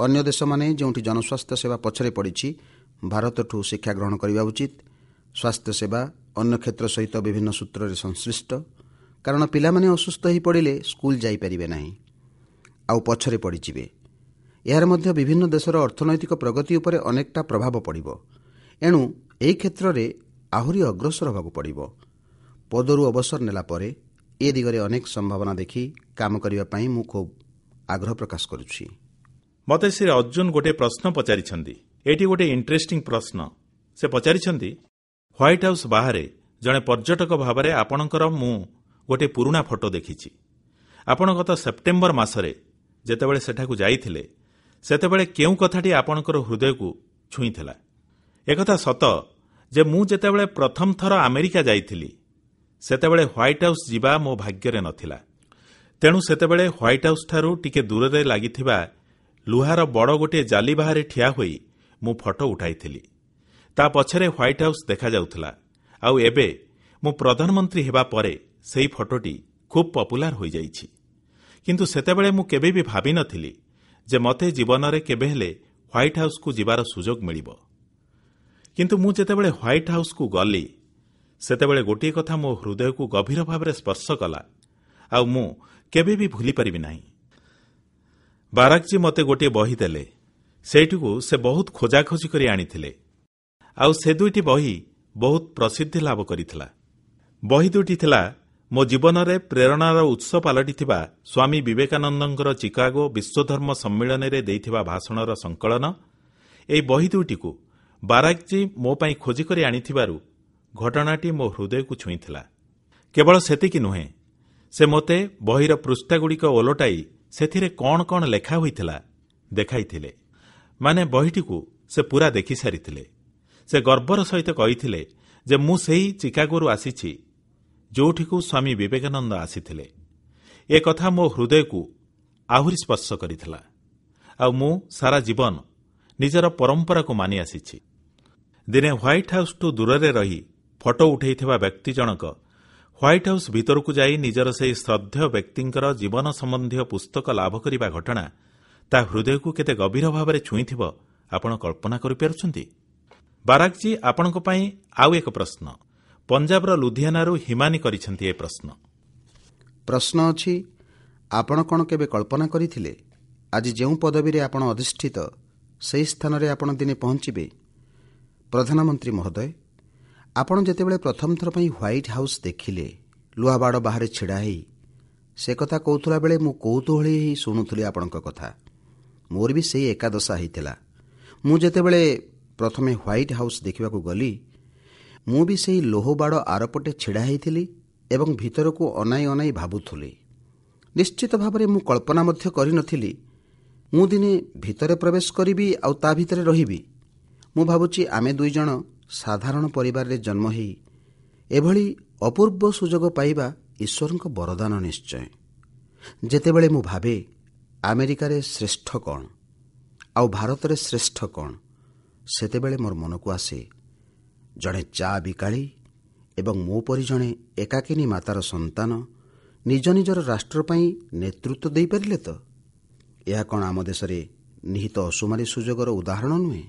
ଅନ୍ୟ ଦେଶମାନେ ଯେଉଁଠି ଜନସ୍ୱାସ୍ଥ୍ୟ ସେବା ପଛରେ ପଡ଼ିଛି, ଭାରତଠୁ ଶିକ୍ଷା ଗ୍ରହଣ କରିବା ଉଚିତ। ସ୍ୱାସ୍ଥ୍ୟ ସେବା ଅନ୍ୟ କ୍ଷେତ୍ର ସହିତ ବିଭିନ୍ନ ସୂତ୍ରରେ ସଂଶ୍ଳିଷ୍ଟ, କାରଣ ପିଲାମାନେ ଅସୁସ୍ଥ ହୋଇପଡ଼ିଲେ ସ୍କୁଲ ଯାଇପାରିବେ ନାହିଁ, ଆଉ ପଛରେ ପଡ଼ିଯିବେ। ଏହାର ମଧ୍ୟ ବିଭିନ୍ନ ଦେଶର ଅର୍ଥନୈତିକ ପ୍ରଗତି ଉପରେ ଅନେକଟା ପ୍ରଭାବ ପଡ଼ିବ। ଏଣୁ ଏହି କ୍ଷେତ୍ରରେ ଆହୁରି ଅଗ୍ରସର ହେବାକୁ ପଡ଼ିବ। ପଦରୁ ଅବସର ନେଲା ପରେ ଏ ଦିଗରେ ଅନେକ ସମ୍ଭାବନା ଦେଖି କାମ କରିବା ପାଇଁ ମୁଁ ଖୁବ୍ ଆଗ୍ରହ ପ୍ରକାଶ କରୁଛି। ମୋତେ ଶ୍ରୀ ଅର୍ଜୁନ ଗୋଟିଏ ପ୍ରଶ୍ନ ପଚାରିଛନ୍ତି। ଏଇଠି ଗୋଟିଏ ଇଣ୍ଟରେଷ୍ଟିଂ ପ୍ରଶ୍ନ। ସେ ପଚାରିଛନ୍ତି, ହ୍ୱାଇଟ୍ ହାଉସ୍ ବାହାରେ ଜଣେ ପର୍ଯ୍ୟଟକ ଭାବରେ ଆପଣଙ୍କର ମୁଁ ଗୋଟିଏ ପୁରୁଣା ଫଟୋ ଦେଖିଛି। ଆପଣ ଗତ ସେପ୍ଟେମ୍ବର ମାସରେ ଯେତେବେଳେ ସେଠାକୁ ଯାଇଥିଲେ, ସେତେବେଳେ କେଉଁ କଥାଟି ଆପଣଙ୍କର ହୃଦୟକୁ ଛୁଇଁଥିଲା? ଏକଥା ସତ ଯେ ମୁଁ ଯେତେବେଳେ ପ୍ରଥମ ଥର ଆମେରିକା ଯାଇଥିଲି, ସେତେବେଳେ ହ୍ୱାଇଟ୍ ହାଉସ୍ ଯିବା ମୋ ଭାଗ୍ୟରେ ନଥିଲା। ତେଣୁ ସେତେବେଳେ ହ୍ୱାଇଟ୍ ହାଉସ୍ଠାରୁ ଟିକେ ଦୂରରେ ଲାଗିଥିବା ଲୁହାର ବଡ଼ ଗୋଟିଏ ଜାଲି ବାହାରେ ଠିଆ ହୋଇ ମୁଁ ଫଟୋ ଉଠାଇଥିଲି। ତା ପଛରେ ହ୍ୱାଇଟ୍ ହାଉସ୍ ଦେଖାଯାଉଥିଲା। ଆଉ ଏବେ ମୁଁ ପ୍ରଧାନମନ୍ତ୍ରୀ ହେବା ପରେ ସେହି ଫଟୋଟି ଖୁବ୍ ପପୁଲାର ହୋଇଯାଇଛି। କିନ୍ତୁ ସେତେବେଳେ ମୁଁ କେବେ ବି ଭାବିନଥିଲି ଯେ ମୋତେ ଜୀବନରେ କେବେ ହେଲେ ହ୍ୱାଇଟ୍ ହାଉସ୍କୁ ଯିବାର ସୁଯୋଗ ମିଳିବ। କିନ୍ତୁ ମୁଁ ଯେତେବେଳେ ହ୍ୱାଇଟ୍ ହାଉସ୍କୁ ଗଲି, ସେତେବେଳେ ଗୋଟିଏ କଥା ମୋ ହୃଦୟକୁ ଗଭୀର ଭାବରେ ସ୍ପର୍ଶ କଲା, ଆଉ ମୁଁ କେବେ ବି ଭୁଲିପାରିବି ନାହିଁ। ବାରାକଜୀ ମୋତେ ଗୋଟିଏ ବହି ଦେଲେ। ସେଇଟିକୁ ସେ ବହୁତ ଖୋଜାଖୋଜି କରି ଆଣିଥିଲେ, ଆଉ ସେ ଦୁଇଟି ବହି ବହୁତ ପ୍ରସିଦ୍ଧି ଲାଭ କରିଥିଲା। ବହି ଦୁଇଟି ଥିଲା ମୋ ଜୀବନରେ ପ୍ରେରଣାର ଉତ୍ସ ପାଲଟିଥିବା ସ୍ୱାମୀ ବିବେକାନନ୍ଦଙ୍କର ଚିକାଗୋ ବିଶ୍ୱଧର୍ମ ସମ୍ମିଳନୀରେ ଦେଇଥିବା ଭାଷଣର ସଂକଳନ। ଏହି ବହି ଦୁଇଟିକୁ ବାରାକଜୀ ମୋ ପାଇଁ ଖୋଜିକରି ଆଣିଥିବାରୁ ଘଟଣାଟି ମୋ ହୃଦୟକୁ ଛୁଇଁଥିଲା। କେବଳ ସେତିକି ନୁହେଁ, ସେ ମୋତେ ବହିର ପୃଷ୍ଠାଗୁଡ଼ିକ ଓଲଟାଇ ସେଥିରେ କ'ଣ କ'ଣ ଲେଖା ହୋଇଥିଲା ଦେଖାଇଥିଲେ। ମାନେ ବହିଟିକୁ ସେ ପୂରା ଦେଖିସାରିଥିଲେ। ସେ ଗର୍ବର ସହିତ କହିଥିଲେ ଯେ ମୁଁ ସେହି ଚିକାଗୋରୁ ଆସିଛି ଯେଉଁଠିକୁ ସ୍ୱାମୀ ବିବେକାନନ୍ଦ ଆସିଥିଲେ। ଏ କଥା ମୋ ହୃଦୟକୁ ଆହୁରି ସ୍ପର୍ଶ କରିଥିଲା, ଆଉ ମୁଁ ସାରା ଜୀବନ ନିଜର ପରମ୍ପରାକୁ ମାନି ଆସିଛି। ଦିନେ ହ୍ୱାଇଟ୍ ହାଉସ୍ଠୁ ଦୂରରେ ରହି ଫଟୋ ଉଠାଇଥିବା ବ୍ୟକ୍ତି ଜଣକ ହ୍ୱାଇଟ୍ ହାଉସ୍ ଭିତରକୁ ଯାଇ ନିଜର ସେହି ଶ୍ରଦ୍ଧେୟ ବ୍ୟକ୍ତିଙ୍କର ଜୀବନ ସମ୍ବନ୍ଧୀୟ ପୁସ୍ତକ ଲାଭ କରିବା ଘଟଣା ତା ହୃଦୟକୁ କେତେ ଗଭୀର ଭାବରେ ଛୁଇଁଥିବ ଆପଣ କଳ୍ପନା କରିପାରୁଛନ୍ତି? ବାରାକଜୀ, ଆପଣଙ୍କ ପାଇଁ ଆଉ ଏକ ପ୍ରଶ୍ନ। ପଞ୍ଜାବର ଲୁଧିଆନାରୁ ହିମାନୀ କରିଛନ୍ତି ଏ ପ୍ରଶ୍ନ। ପ୍ରଶ୍ନ ଅଛି, ଆପଣ କଣ କେବେ କଳ୍ପନା କରିଥିଲେ ଆଜି ଯେଉଁ ପଦବୀରେ ଆପଣ ଅଧିଷ୍ଠିତ ସେହି ସ୍ଥାନରେ ଆପଣ ଦିନେ ପହଞ୍ଚିବେ? ପ୍ରଧାନମନ୍ତ୍ରୀ ମହୋଦୟ, ଆପଣ ଯେତେବେଳେ ପ୍ରଥମ ଥର ପାଇଁ ହ୍ୱାଇଟ୍ ହାଉସ୍ ଦେଖିଲେ, ଲୁହାବାଡ଼ ବାହାରେ ଛିଡ଼ା ହେଇ ସେ କଥା କହୁଥିଲା ବେଳେ ମୁଁ କୌତୂହଳୀ ହେଇ ଶୁଣୁଥିଲି ଆପଣଙ୍କ କଥା। ମୋର ବି ସେଇ ଏକା ଦଶା ହେଇଥିଲା। ମୁଁ ଯେତେବେଳେ ପ୍ରଥମେ ହ୍ୱାଇଟ୍ ହାଉସ୍ ଦେଖିବାକୁ ଗଲି, ମୁଁ ବି ସେଇ ଲୌହବାଡ଼ ଆରପଟେ ଛିଡ଼ା ହେଇଥିଲି ଏବଂ ଭିତରକୁ ଅନାଇ ଅନାଇ ଭାବୁଥିଲି। ନିଶ୍ଚିତ ଭାବରେ ମୁଁ କଳ୍ପନା ମଧ୍ୟ କରିନଥିଲି ମୁଁ ଦିନେ ଭିତରେ ପ୍ରବେଶ କରିବି ଆଉ ତା ଭିତରେ ରହିବି। ମୁଁ ଭାବୁଛି ଆମେ ଦୁଇ ଜଣ ସାଧାରଣ ପରିବାରରେ ଜନ୍ମ ହେଇ ଏଭଳି ଅପୂର୍ବ ସୁଯୋଗ ପାଇବା ଈଶ୍ୱରଙ୍କ ବରଦାନ ନିଶ୍ଚୟ। ଯେତେବେଳେ ମୁଁ ଭାବେ ଆମେରିକାରେ ଶ୍ରେଷ୍ଠ କ'ଣ ଆଉ ଭାରତରେ ଶ୍ରେଷ୍ଠ କ'ଣ, ସେତେବେଳେ ମୋର ମନକୁ ଆସେ ଜଣେ ଚା ବିକାଳୀ ଏବଂ ମୋ ପରି ଜଣେ ଏକାକିନୀ ମାତାର ସନ୍ତାନ ନିଜ ନିଜର ରାଷ୍ଟ୍ର ପାଇଁ ନେତୃତ୍ୱ ଦେଇପାରିଲେ ତ? ଏହା କ'ଣ ଆମ ଦେଶରେ ନିହିତ ଅସୁମାରୀ ସୁଯୋଗର ଉଦାହରଣ ନୁହେଁ?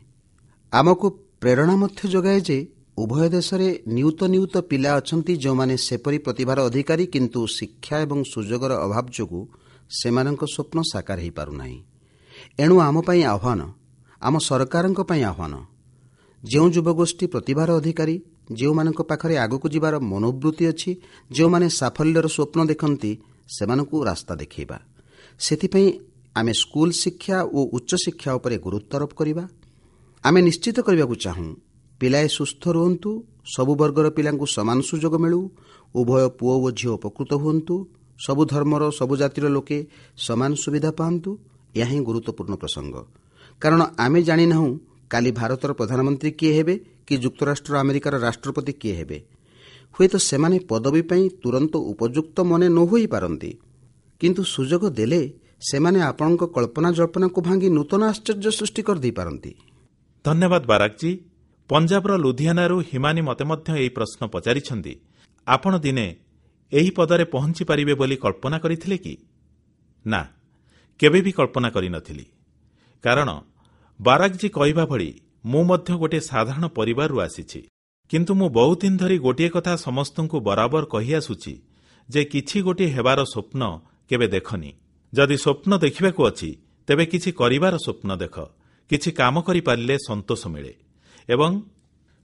ଆମକୁ ପ୍ରେରଣା ମଧ୍ୟ ଯୋଗାଏ ଯେ ଉଭୟ ଦେଶରେ ନିୟୁତ ନିୟୁତ ପିଲା ଅଛନ୍ତି ଯେଉଁମାନେ ସେପରି ପ୍ରତିଭାର ଅଧିକାରୀ, କିନ୍ତୁ ଶିକ୍ଷା ଏବଂ ସୁଯୋଗର ଅଭାବ ଯୋଗୁଁ ସେମାନଙ୍କ ସ୍ୱପ୍ନ ସାକାର ହୋଇପାରୁନାହିଁ। ଏଣୁ ଆମ ପାଇଁ ଆହ୍ୱାନ, ଆମ ସରକାରଙ୍କ ପାଇଁ ଆହ୍ୱାନ, ଯେଉଁ ଯୁବଗୋଷ୍ଠୀ ପ୍ରତିଭାର ଅଧିକାରୀ, ଯେଉଁମାନଙ୍କ ପାଖରେ ଆଗକୁ ଯିବାର ମନୋବୃତ୍ତି ଅଛି, ଯେଉଁମାନେ ସାଫଲ୍ୟର ସ୍ୱପ୍ନ ଦେଖନ୍ତି, ସେମାନଙ୍କୁ ରାସ୍ତା ଦେଖାଇବା। ସେଥିପାଇଁ ଆମେ ସ୍କୁଲ ଶିକ୍ଷା ଓ ଉଚ୍ଚଶିକ୍ଷା ଉପରେ ଗୁରୁତ୍ୱାରୋପ କରିବା। ଆମେ ନିଶ୍ଚିତ କରିବାକୁ ଚାହୁଁ ପିଲାଏ ସୁସ୍ଥ ରୁହନ୍ତୁ, ସବୁ ବର୍ଗର ପିଲାଙ୍କୁ ସମାନ ସୁଯୋଗ ମିଳୁ, ଉଭୟ ପୁଅ ଓ ଝିଅ ଉପକୃତ ହୁଅନ୍ତୁ, ସବୁ ଧର୍ମର ସବୁ ଜାତିର ଲୋକେ ସମାନ ସୁବିଧା ପାଆନ୍ତୁ। ଏହା ହିଁ ଗୁରୁତ୍ୱପୂର୍ଣ୍ଣ ପ୍ରସଙ୍ଗ, କାରଣ ଆମେ ଜାଣିନାହୁଁ କାଲି ଭାରତର ପ୍ରଧାନମନ୍ତ୍ରୀ କିଏ ହେବେ କି ଯୁକ୍ତରାଷ୍ଟ୍ର ଆମେରିକାର ରାଷ୍ଟ୍ରପତି କିଏ ହେବେ। ହୁଏତ ସେମାନେ ପଦବୀ ପାଇଁ ତୁରନ୍ତ ଉପଯୁକ୍ତ ମନେ ନ ହୋଇପାରନ୍ତି, କିନ୍ତୁ ସୁଯୋଗ ଦେଲେ ସେମାନେ ଆପଣଙ୍କ କଳ୍ପନା ଜଳ୍ପନାକୁ ଭାଙ୍ଗି ନୂତନ ଆଶ୍ଚର୍ଯ୍ୟ ସୃଷ୍ଟି କରିଦେଇପାରନ୍ତି। ଧନ୍ୟବାଦ ବାରାକଜୀ। ପଞ୍ଜାବର ଲୁଧିଆନାରୁ ହିମାନୀ ମୋତେ ମଧ୍ୟ ଏହି ପ୍ରଶ୍ନ ପଚାରିଛନ୍ତି, ଆପଣ ଦିନେ ଏହି ପଦରେ ପହଞ୍ଚି ପାରିବେ ବୋଲି କଳ୍ପନା କରିଥିଲେ କି? ନା, କେବେ ବି କଳ୍ପନା କରିନଥିଲି। କାରଣ ବାରାକଜୀ କହିବା ଭଳି ମୁଁ ମଧ୍ୟ ଗୋଟିଏ ସାଧାରଣ ପରିବାରରୁ ଆସିଛି। କିନ୍ତୁ ମୁଁ ବହୁତ ଦିନ ଧରି ଗୋଟିଏ କଥା ସମସ୍ତଙ୍କୁ ବରାବର କହିଆସୁଛି ଯେ କିଛି ଗୋଟିଏ ହେବାର ସ୍ୱପ୍ନ କେବେ ଦେଖନି। ଯଦି ସ୍ୱପ୍ନ ଦେଖିବାକୁ ଅଛି ତେବେ କିଛି କରିବାର ସ୍ୱପ୍ନ ଦେଖ। କିଛି କାମ କରିପାରିଲେ ସନ୍ତୋଷ ମିଳେ ଏବଂ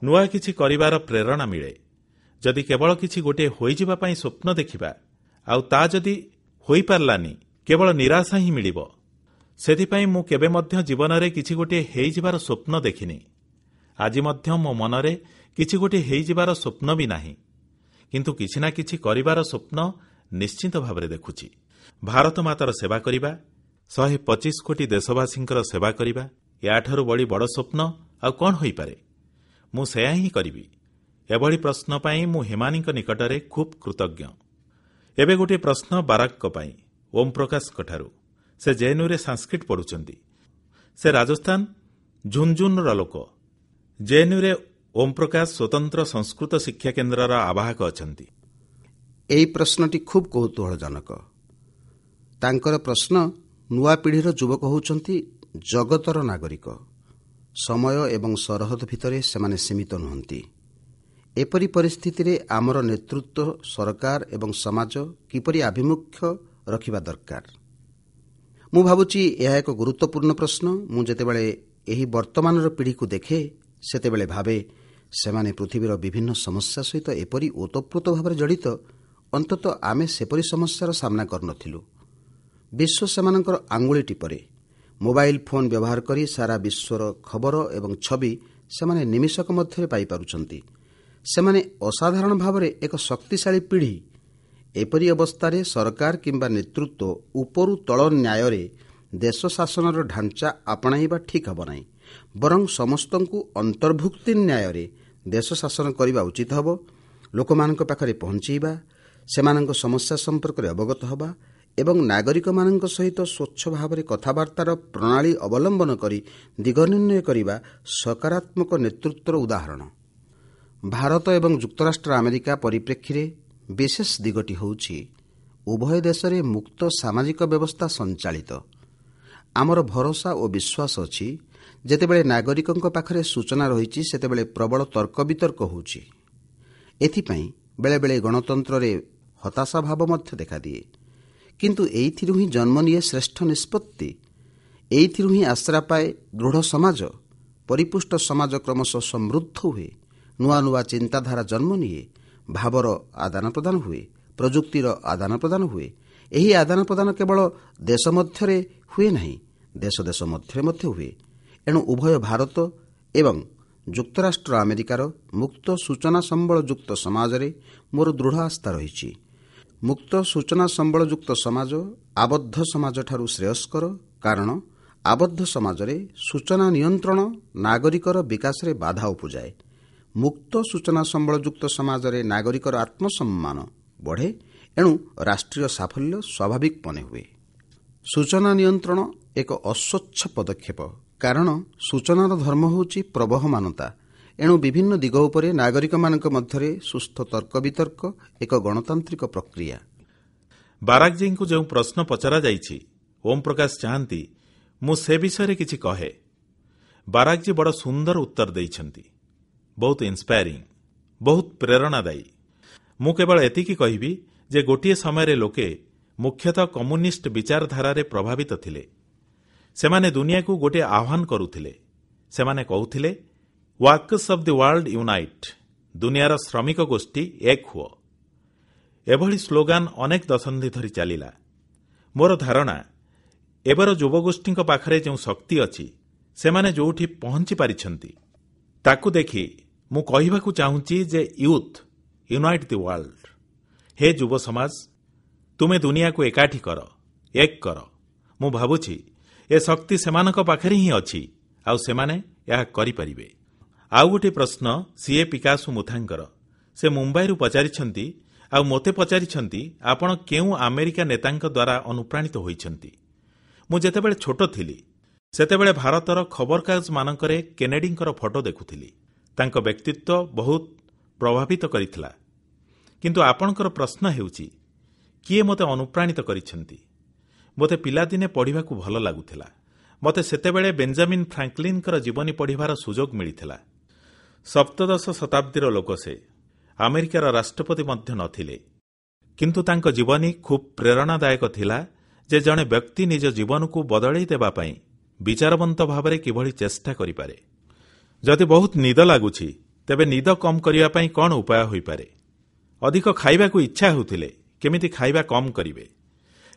ନୂଆ କିଛି କରିବାର ପ୍ରେରଣା ମିଳେ। ଯଦି କେବଳ କିଛି ଗୋଟିଏ ହୋଇଯିବା ପାଇଁ ସ୍ୱପ୍ନ ଦେଖିବା ଆଉ ତା ଯଦି ହୋଇପାରିଲାନି, କେବଳ ନିରାଶା ହିଁ ମିଳିବ। ସେଥିପାଇଁ ମୁଁ କେବେ ମଧ୍ୟ ଜୀବନରେ କିଛି ଗୋଟିଏ ହେଇଯିବାର ସ୍ୱପ୍ନ ଦେଖିନି। ଆଜି ମଧ୍ୟ ମୋ ମନରେ କିଛି ଗୋଟିଏ ହେଇଯିବାର ସ୍ୱପ୍ନ ବି ନାହିଁ, କିନ୍ତୁ କିଛି ନା କିଛି କରିବାର ସ୍ୱପ୍ନ ନିଶ୍ଚିତ ଭାବରେ ଦେଖୁଛି। ଭାରତ ମାତାର ସେବା କରିବା, ଶହେ ପଚିଶ କୋଟି ଦେଶବାସୀଙ୍କର ସେବା କରିବା, ଏହାଠାରୁ ବଳି ବଡ଼ ସ୍ୱପ୍ନ ଆଉ କ'ଣ ହୋଇପାରେ? ମୁଁ ସେୟା ହିଁ କରିବି। ଏଭଳି ପ୍ରଶ୍ନ ପାଇଁ ମୁଁ ହିମାନୀଙ୍କ ନିକଟରେ ଖୁବ୍ କୃତଜ୍ଞ। ଏବେ ଗୋଟିଏ ପ୍ରଶ୍ନ ବାରାକଙ୍କ ପାଇଁ ଓମ୍ ପ୍ରକାଶଙ୍କଠାରୁ। ସେ ଜେଏନ୍ୟୁରେ ସାଂସ୍କ୍ରିଟ ପଢ଼ୁଛନ୍ତି। ସେ ରାଜସ୍ଥାନ ଝୁନ୍ଝୁନ୍ର ଲୋକ। ଜେଏନ୍ୟୁରେ ଓମ୍ ପ୍ରକାଶ ସ୍ୱତନ୍ତ୍ର ସଂସ୍କୃତ ଶିକ୍ଷା କେନ୍ଦ୍ରର ଆବାହକ ଅଛନ୍ତି। ଏହି ପ୍ରଶ୍ନଟି ଖୁବ୍ କୌତୂହଳଜନକ। ତାଙ୍କର ପ୍ରଶ୍ନ, ନୂଆ ପିଢ଼ିର ଯୁବକ ହେଉଛନ୍ତି ଜଗତର ନାଗରିକ। ସମୟ ଏବଂ ସରହଦ ଭିତରେ ସେମାନେ ସୀମିତ ନୁହନ୍ତି। ଏପରି ପରିସ୍ଥିତିରେ ଆମର ନେତୃତ୍ୱ, ସରକାର ଏବଂ ସମାଜ କିପରି ଆଭିମୁଖ୍ୟ ରଖିବା ଦରକାର? ମୁଁ ଭାବୁଛି ଏହା ଏକ ଗୁରୁତ୍ୱପୂର୍ଣ୍ଣ ପ୍ରଶ୍ନ। ମୁଁ ଯେତେବେଳେ ଏହି ବର୍ତ୍ତମାନର ପିଢ଼ିକୁ ଦେଖେ, ସେତେବେଳେ ଭାବେ ସେମାନେ ପୃଥିବୀର ବିଭିନ୍ନ ସମସ୍ୟା ସହିତ ଏପରି ଓତପ୍ରୋତ ଭାବରେ ଜଡ଼ିତ, ଅନ୍ତତଃ ଆମେ ସେପରି ସମସ୍ୟାର ସାମ୍ନା କରିନଥିଲୁ। ବିଶ୍ୱ ସେମାନଙ୍କର ଆଙ୍ଗୁଳି ଟିପରେ। ମୋବାଇଲ ଫୋନ୍ ବ୍ୟବହାର କରି ସାରା ବିଶ୍ୱର ଖବର ଏବଂ ଛବି ସେମାନେ ନିମିଷକ ମଧ୍ୟରେ ପାଇପାରୁଛନ୍ତି। ସେମାନେ ଅସାଧାରଣ ଭାବରେ ଏକ ଶକ୍ତିଶାଳୀ ପିଢ଼ି। ଏପରି ଅବସ୍ଥାରେ ସରକାର କିମ୍ବା ନେତୃତ୍ୱ ଉପରୁ ତଳ ନ୍ୟାୟରେ ଦେଶ ଶାସନର ଢାଞ୍ଚା ଆପଣାଇବା ଠିକ୍ ହେବ ନାହିଁ, ବରଂ ସମସ୍ତଙ୍କୁ ଅନ୍ତର୍ଭୁକ୍ତି ନ୍ୟାୟରେ ଦେଶ ଶାସନ କରିବା ଉଚିତ ହେବ। ଲୋକମାନଙ୍କ ପାଖରେ ପହଞ୍ଚାଇବା, ସେମାନଙ୍କ ସମସ୍ୟା ସମ୍ପର୍କରେ ଅବଗତ ହେବା ଏବଂ ନାଗରିକମାନଙ୍କ ସହିତ ସ୍ୱଚ୍ଛ ଭାବରେ କଥାବାର୍ତ୍ତାର ପ୍ରଣାଳୀ ଅବଲମ୍ବନ କରି ଦିଗ ନିର୍ଣ୍ଣୟ କରିବା ସକାରାତ୍ମକ ନେତୃତ୍ୱର ଉଦାହରଣ। ଭାରତ ଏବଂ ଯୁକ୍ତରାଷ୍ଟ୍ର ଆମେରିକା ପରିପ୍ରେକ୍ଷୀରେ ବିଶେଷ ଦିଗଟି ହେଉଛି ଉଭୟ ଦେଶରେ ମୁକ୍ତ ସାମାଜିକ ବ୍ୟବସ୍ଥା ସଞ୍ଚାଳିତ। ଆମର ଭରସା ଓ ବିଶ୍ୱାସ ଅଛି, ଯେତେବେଳେ ନାଗରିକଙ୍କ ପାଖରେ ସୂଚନା ରହିଛି, ସେତେବେଳେ ପ୍ରବଳ ତର୍କବିତର୍କ ହେଉଛି। ଏଥିପାଇଁ ବେଳେବେଳେ ଗଣତନ୍ତ୍ରରେ ହତାଶା ଭାବ ମଧ୍ୟ ଦେଖାଦିଏ। କିନ୍ତୁ ଏଇଥିରୁ ହିଁ ଜନ୍ମ ନିଏ ଶ୍ରେଷ୍ଠ ନିଷ୍ପତ୍ତି। ଏଇଥିରୁ ହିଁ ଆଶ୍ରା ପାଏ ଦୃଢ଼ ସମାଜ। ପରିପୁଷ୍ଟ ସମାଜ କ୍ରମଶଃ ସମୃଦ୍ଧ ହୁଏ। ନୂଆ ନୂଆ ଚିନ୍ତାଧାରା ଜନ୍ମ ନିଏ। ଭାବର ଆଦାନ ପ୍ରଦାନ ହୁଏ, ପ୍ରଯୁକ୍ତିର ଆଦାନ ପ୍ରଦାନ ହୁଏ। ଏହି ଆଦାନ ପ୍ରଦାନ କେବଳ ଦେଶ ମଧ୍ୟରେ ହୁଏ ନାହିଁ, ଦେଶ ଦେଶ ମଧ୍ୟରେ ମଧ୍ୟ ହୁଏ। ଏଣୁ ଉଭୟ ଭାରତ ଏବଂ ଯୁକ୍ତରାଷ୍ଟ୍ର ଆମେରିକାର ମୁକ୍ତ ସୂଚନା ସମ୍ବଳଯୁକ୍ତ ସମାଜରେ ମୋର ଦୃଢ଼ ଆସ୍ଥା ରହିଛି। ମୁକ୍ତ ସୂଚନା ସମ୍ବଳଯୁକ୍ତ ସମାଜ ଆବଦ୍ଧ ସମାଜଠାରୁ ଶ୍ରେୟସ୍କର, କାରଣ ଆବଦ୍ଧ ସମାଜରେ ସୂଚନା ନିୟନ୍ତ୍ରଣ ନାଗରିକର ବିକାଶରେ ବାଧା ଉପୁଜାଏ। ମୁକ୍ତ ସୂଚନା ସମ୍ବଳଯୁକ୍ତ ସମାଜରେ ନାଗରିକର ଆତ୍ମସମ୍ମାନ ବଢ଼େ, ଏଣୁ ରାଷ୍ଟ୍ରୀୟ ସାଫଲ୍ୟ ସ୍ୱାଭାବିକ ମନେ ହୁଏ। ସୂଚନା ନିୟନ୍ତ୍ରଣ ଏକ ଅସ୍ୱଚ୍ଛ ପଦକ୍ଷେପ, କାରଣ ସୂଚନାର ଧର୍ମ ହେଉଛି ପ୍ରବହମାନତା। ଏଣୁ ବିଭିନ୍ନ ଦିଗ ଉପରେ ନାଗରିକମାନଙ୍କ ମଧ୍ୟରେ ସୁସ୍ଥ ତର୍କବିତର୍କ ଏକ ଗଣତାନ୍ତ୍ରିକ ପ୍ରକ୍ରିୟା। ବାରାକଜୀଙ୍କୁ ଯେଉଁ ପ୍ରଶ୍ନ ପଚରାଯାଇଛି, ଓମ୍ ପ୍ରକାଶ ଚାହାନ୍ତି ମୁଁ ସେ ବିଷୟରେ କିଛି କହେ। ବାରାକଜୀ ବଡ଼ ସୁନ୍ଦର ଉତ୍ତର ଦେଇଛନ୍ତି, ବହୁତ ଇନ୍ସପାୟାରିଂ, ବହୁତ ପ୍ରେରଣାଦାୟୀ। ମୁଁ କେବଳ ଏତିକି କହିବି ଯେ ଗୋଟିଏ ସମୟରେ ଲୋକେ ମୁଖ୍ୟତଃ କମ୍ୟୁନିଷ୍ଟ ବିଚାରଧାରାରେ ପ୍ରଭାବିତ ଥିଲେ। ସେମାନେ ଦୁନିଆକୁ ଗୋଟିଏ ଆହ୍ୱାନ କରୁଥିଲେ। ସେମାନେ କହୁଥିଲେ, workers of the world unite, ଦୁନିଆର ଶ୍ରମିକ ଗୋଷ୍ଠୀ ଏକ ହୁଅ। ଏଭଳି ସ୍ଲୋଗାନ ଅନେକ ଦଶନ୍ଧି ଧରି ଚାଲିଲା। ମୋର ଧାରଣା, ଏବେର ଯୁବଗୋଷ୍ଠୀଙ୍କ ପାଖରେ ଯେଉଁ ଶକ୍ତି ଅଛି, ସେମାନେ ଯେଉଁଠି ପହଞ୍ଚି ପାରିଛନ୍ତି, ତାକୁ ଦେଖି ମୁଁ କହିବାକୁ ଚାହୁଁଛି ଯେ ୟୁଥ୍ ୟୁନାଇଟ୍ ଦି ୱାର୍ଲଡ। ହେ ଯୁବ ସମାଜ, ତୁମେ ଦୁନିଆକୁ ଏକାଠି କର, ଏକ କର। ମୁଁ ଭାବୁଛି ଏ ଶକ୍ତି ସେମାନଙ୍କ ପାଖରେ ହିଁ ଅଛି, ଆଉ ସେମାନେ ଏହା କରିପାରିବେ। ଆଉ ଗୋଟିଏ ପ୍ରଶ୍ନ ସିଏ ପିକାସୁ ମୁଥାଙ୍କର। ସେ ମୁମ୍ବାଇରୁ ପଚାରିଛନ୍ତି ଆଉ ମୋତେ ପଚାରିଛନ୍ତି, ଆପଣ କେଉଁ ଆମେରିକା ନେତାଙ୍କ ଦ୍ୱାରା ଅନୁପ୍ରାଣିତ ହୋଇଛନ୍ତି? ମୁଁ ଯେତେବେଳେ ଛୋଟ ଥିଲି, ସେତେବେଳେ ଭାରତର ଖବରକାଗଜମାନଙ୍କରେ କେନେଡିଙ୍କର ଫଟୋ ଦେଖୁଥିଲି। ତାଙ୍କ ବ୍ୟକ୍ତିତ୍ୱ ବହୁତ ପ୍ରଭାବିତ କରିଥିଲା। କିନ୍ତୁ ଆପଣଙ୍କର ପ୍ରଶ୍ନ ହେଉଛି, କିଏ ମୋତେ ଅନୁପ୍ରାଣିତ କରିଛନ୍ତି? ମୋତେ ପିଲାଦିନେ ପଢ଼ିବାକୁ ଭଲ ଲାଗୁଥିଲା। ମୋତେ ସେତେବେଳେ ବେଞ୍ଜାମିନ୍ ଫ୍ରାଙ୍କଲିନଙ୍କର ଜୀବନୀ ପଢ଼ିବାର ସୁଯୋଗ ମିଳିଥିଲା। ସପ୍ତଦଶ ଶତାବ୍ଦୀର ଲୋକ ସେ, ଆମେରିକାର ରାଷ୍ଟ୍ରପତି ମଧ୍ୟ ନଥିଲେ। କିନ୍ତୁ ତାଙ୍କ ଜୀବନୀ ଖୁବ୍ ପ୍ରେରଣାଦାୟକ ଥିଲା ଯେ ଜଣେ ବ୍ୟକ୍ତି ନିଜ ଜୀବନକୁ ବଦଳାଇ ଦେବା ପାଇଁ ବିଚାରବନ୍ତ ଭାବରେ କିଭଳି ଚେଷ୍ଟା କରିପାରେ। ଯଦି ବହୁତ ନିଦ ଲାଗୁଛି, ତେବେ ନିଦ କମ୍ କରିବା ପାଇଁ କ'ଣ ଉପାୟ ହୋଇପାରେ? ଅଧିକ ଖାଇବାକୁ ଇଚ୍ଛା ହେଉଥିଲେ କେମିତି ଖାଇବା କମ୍ କରିବେ?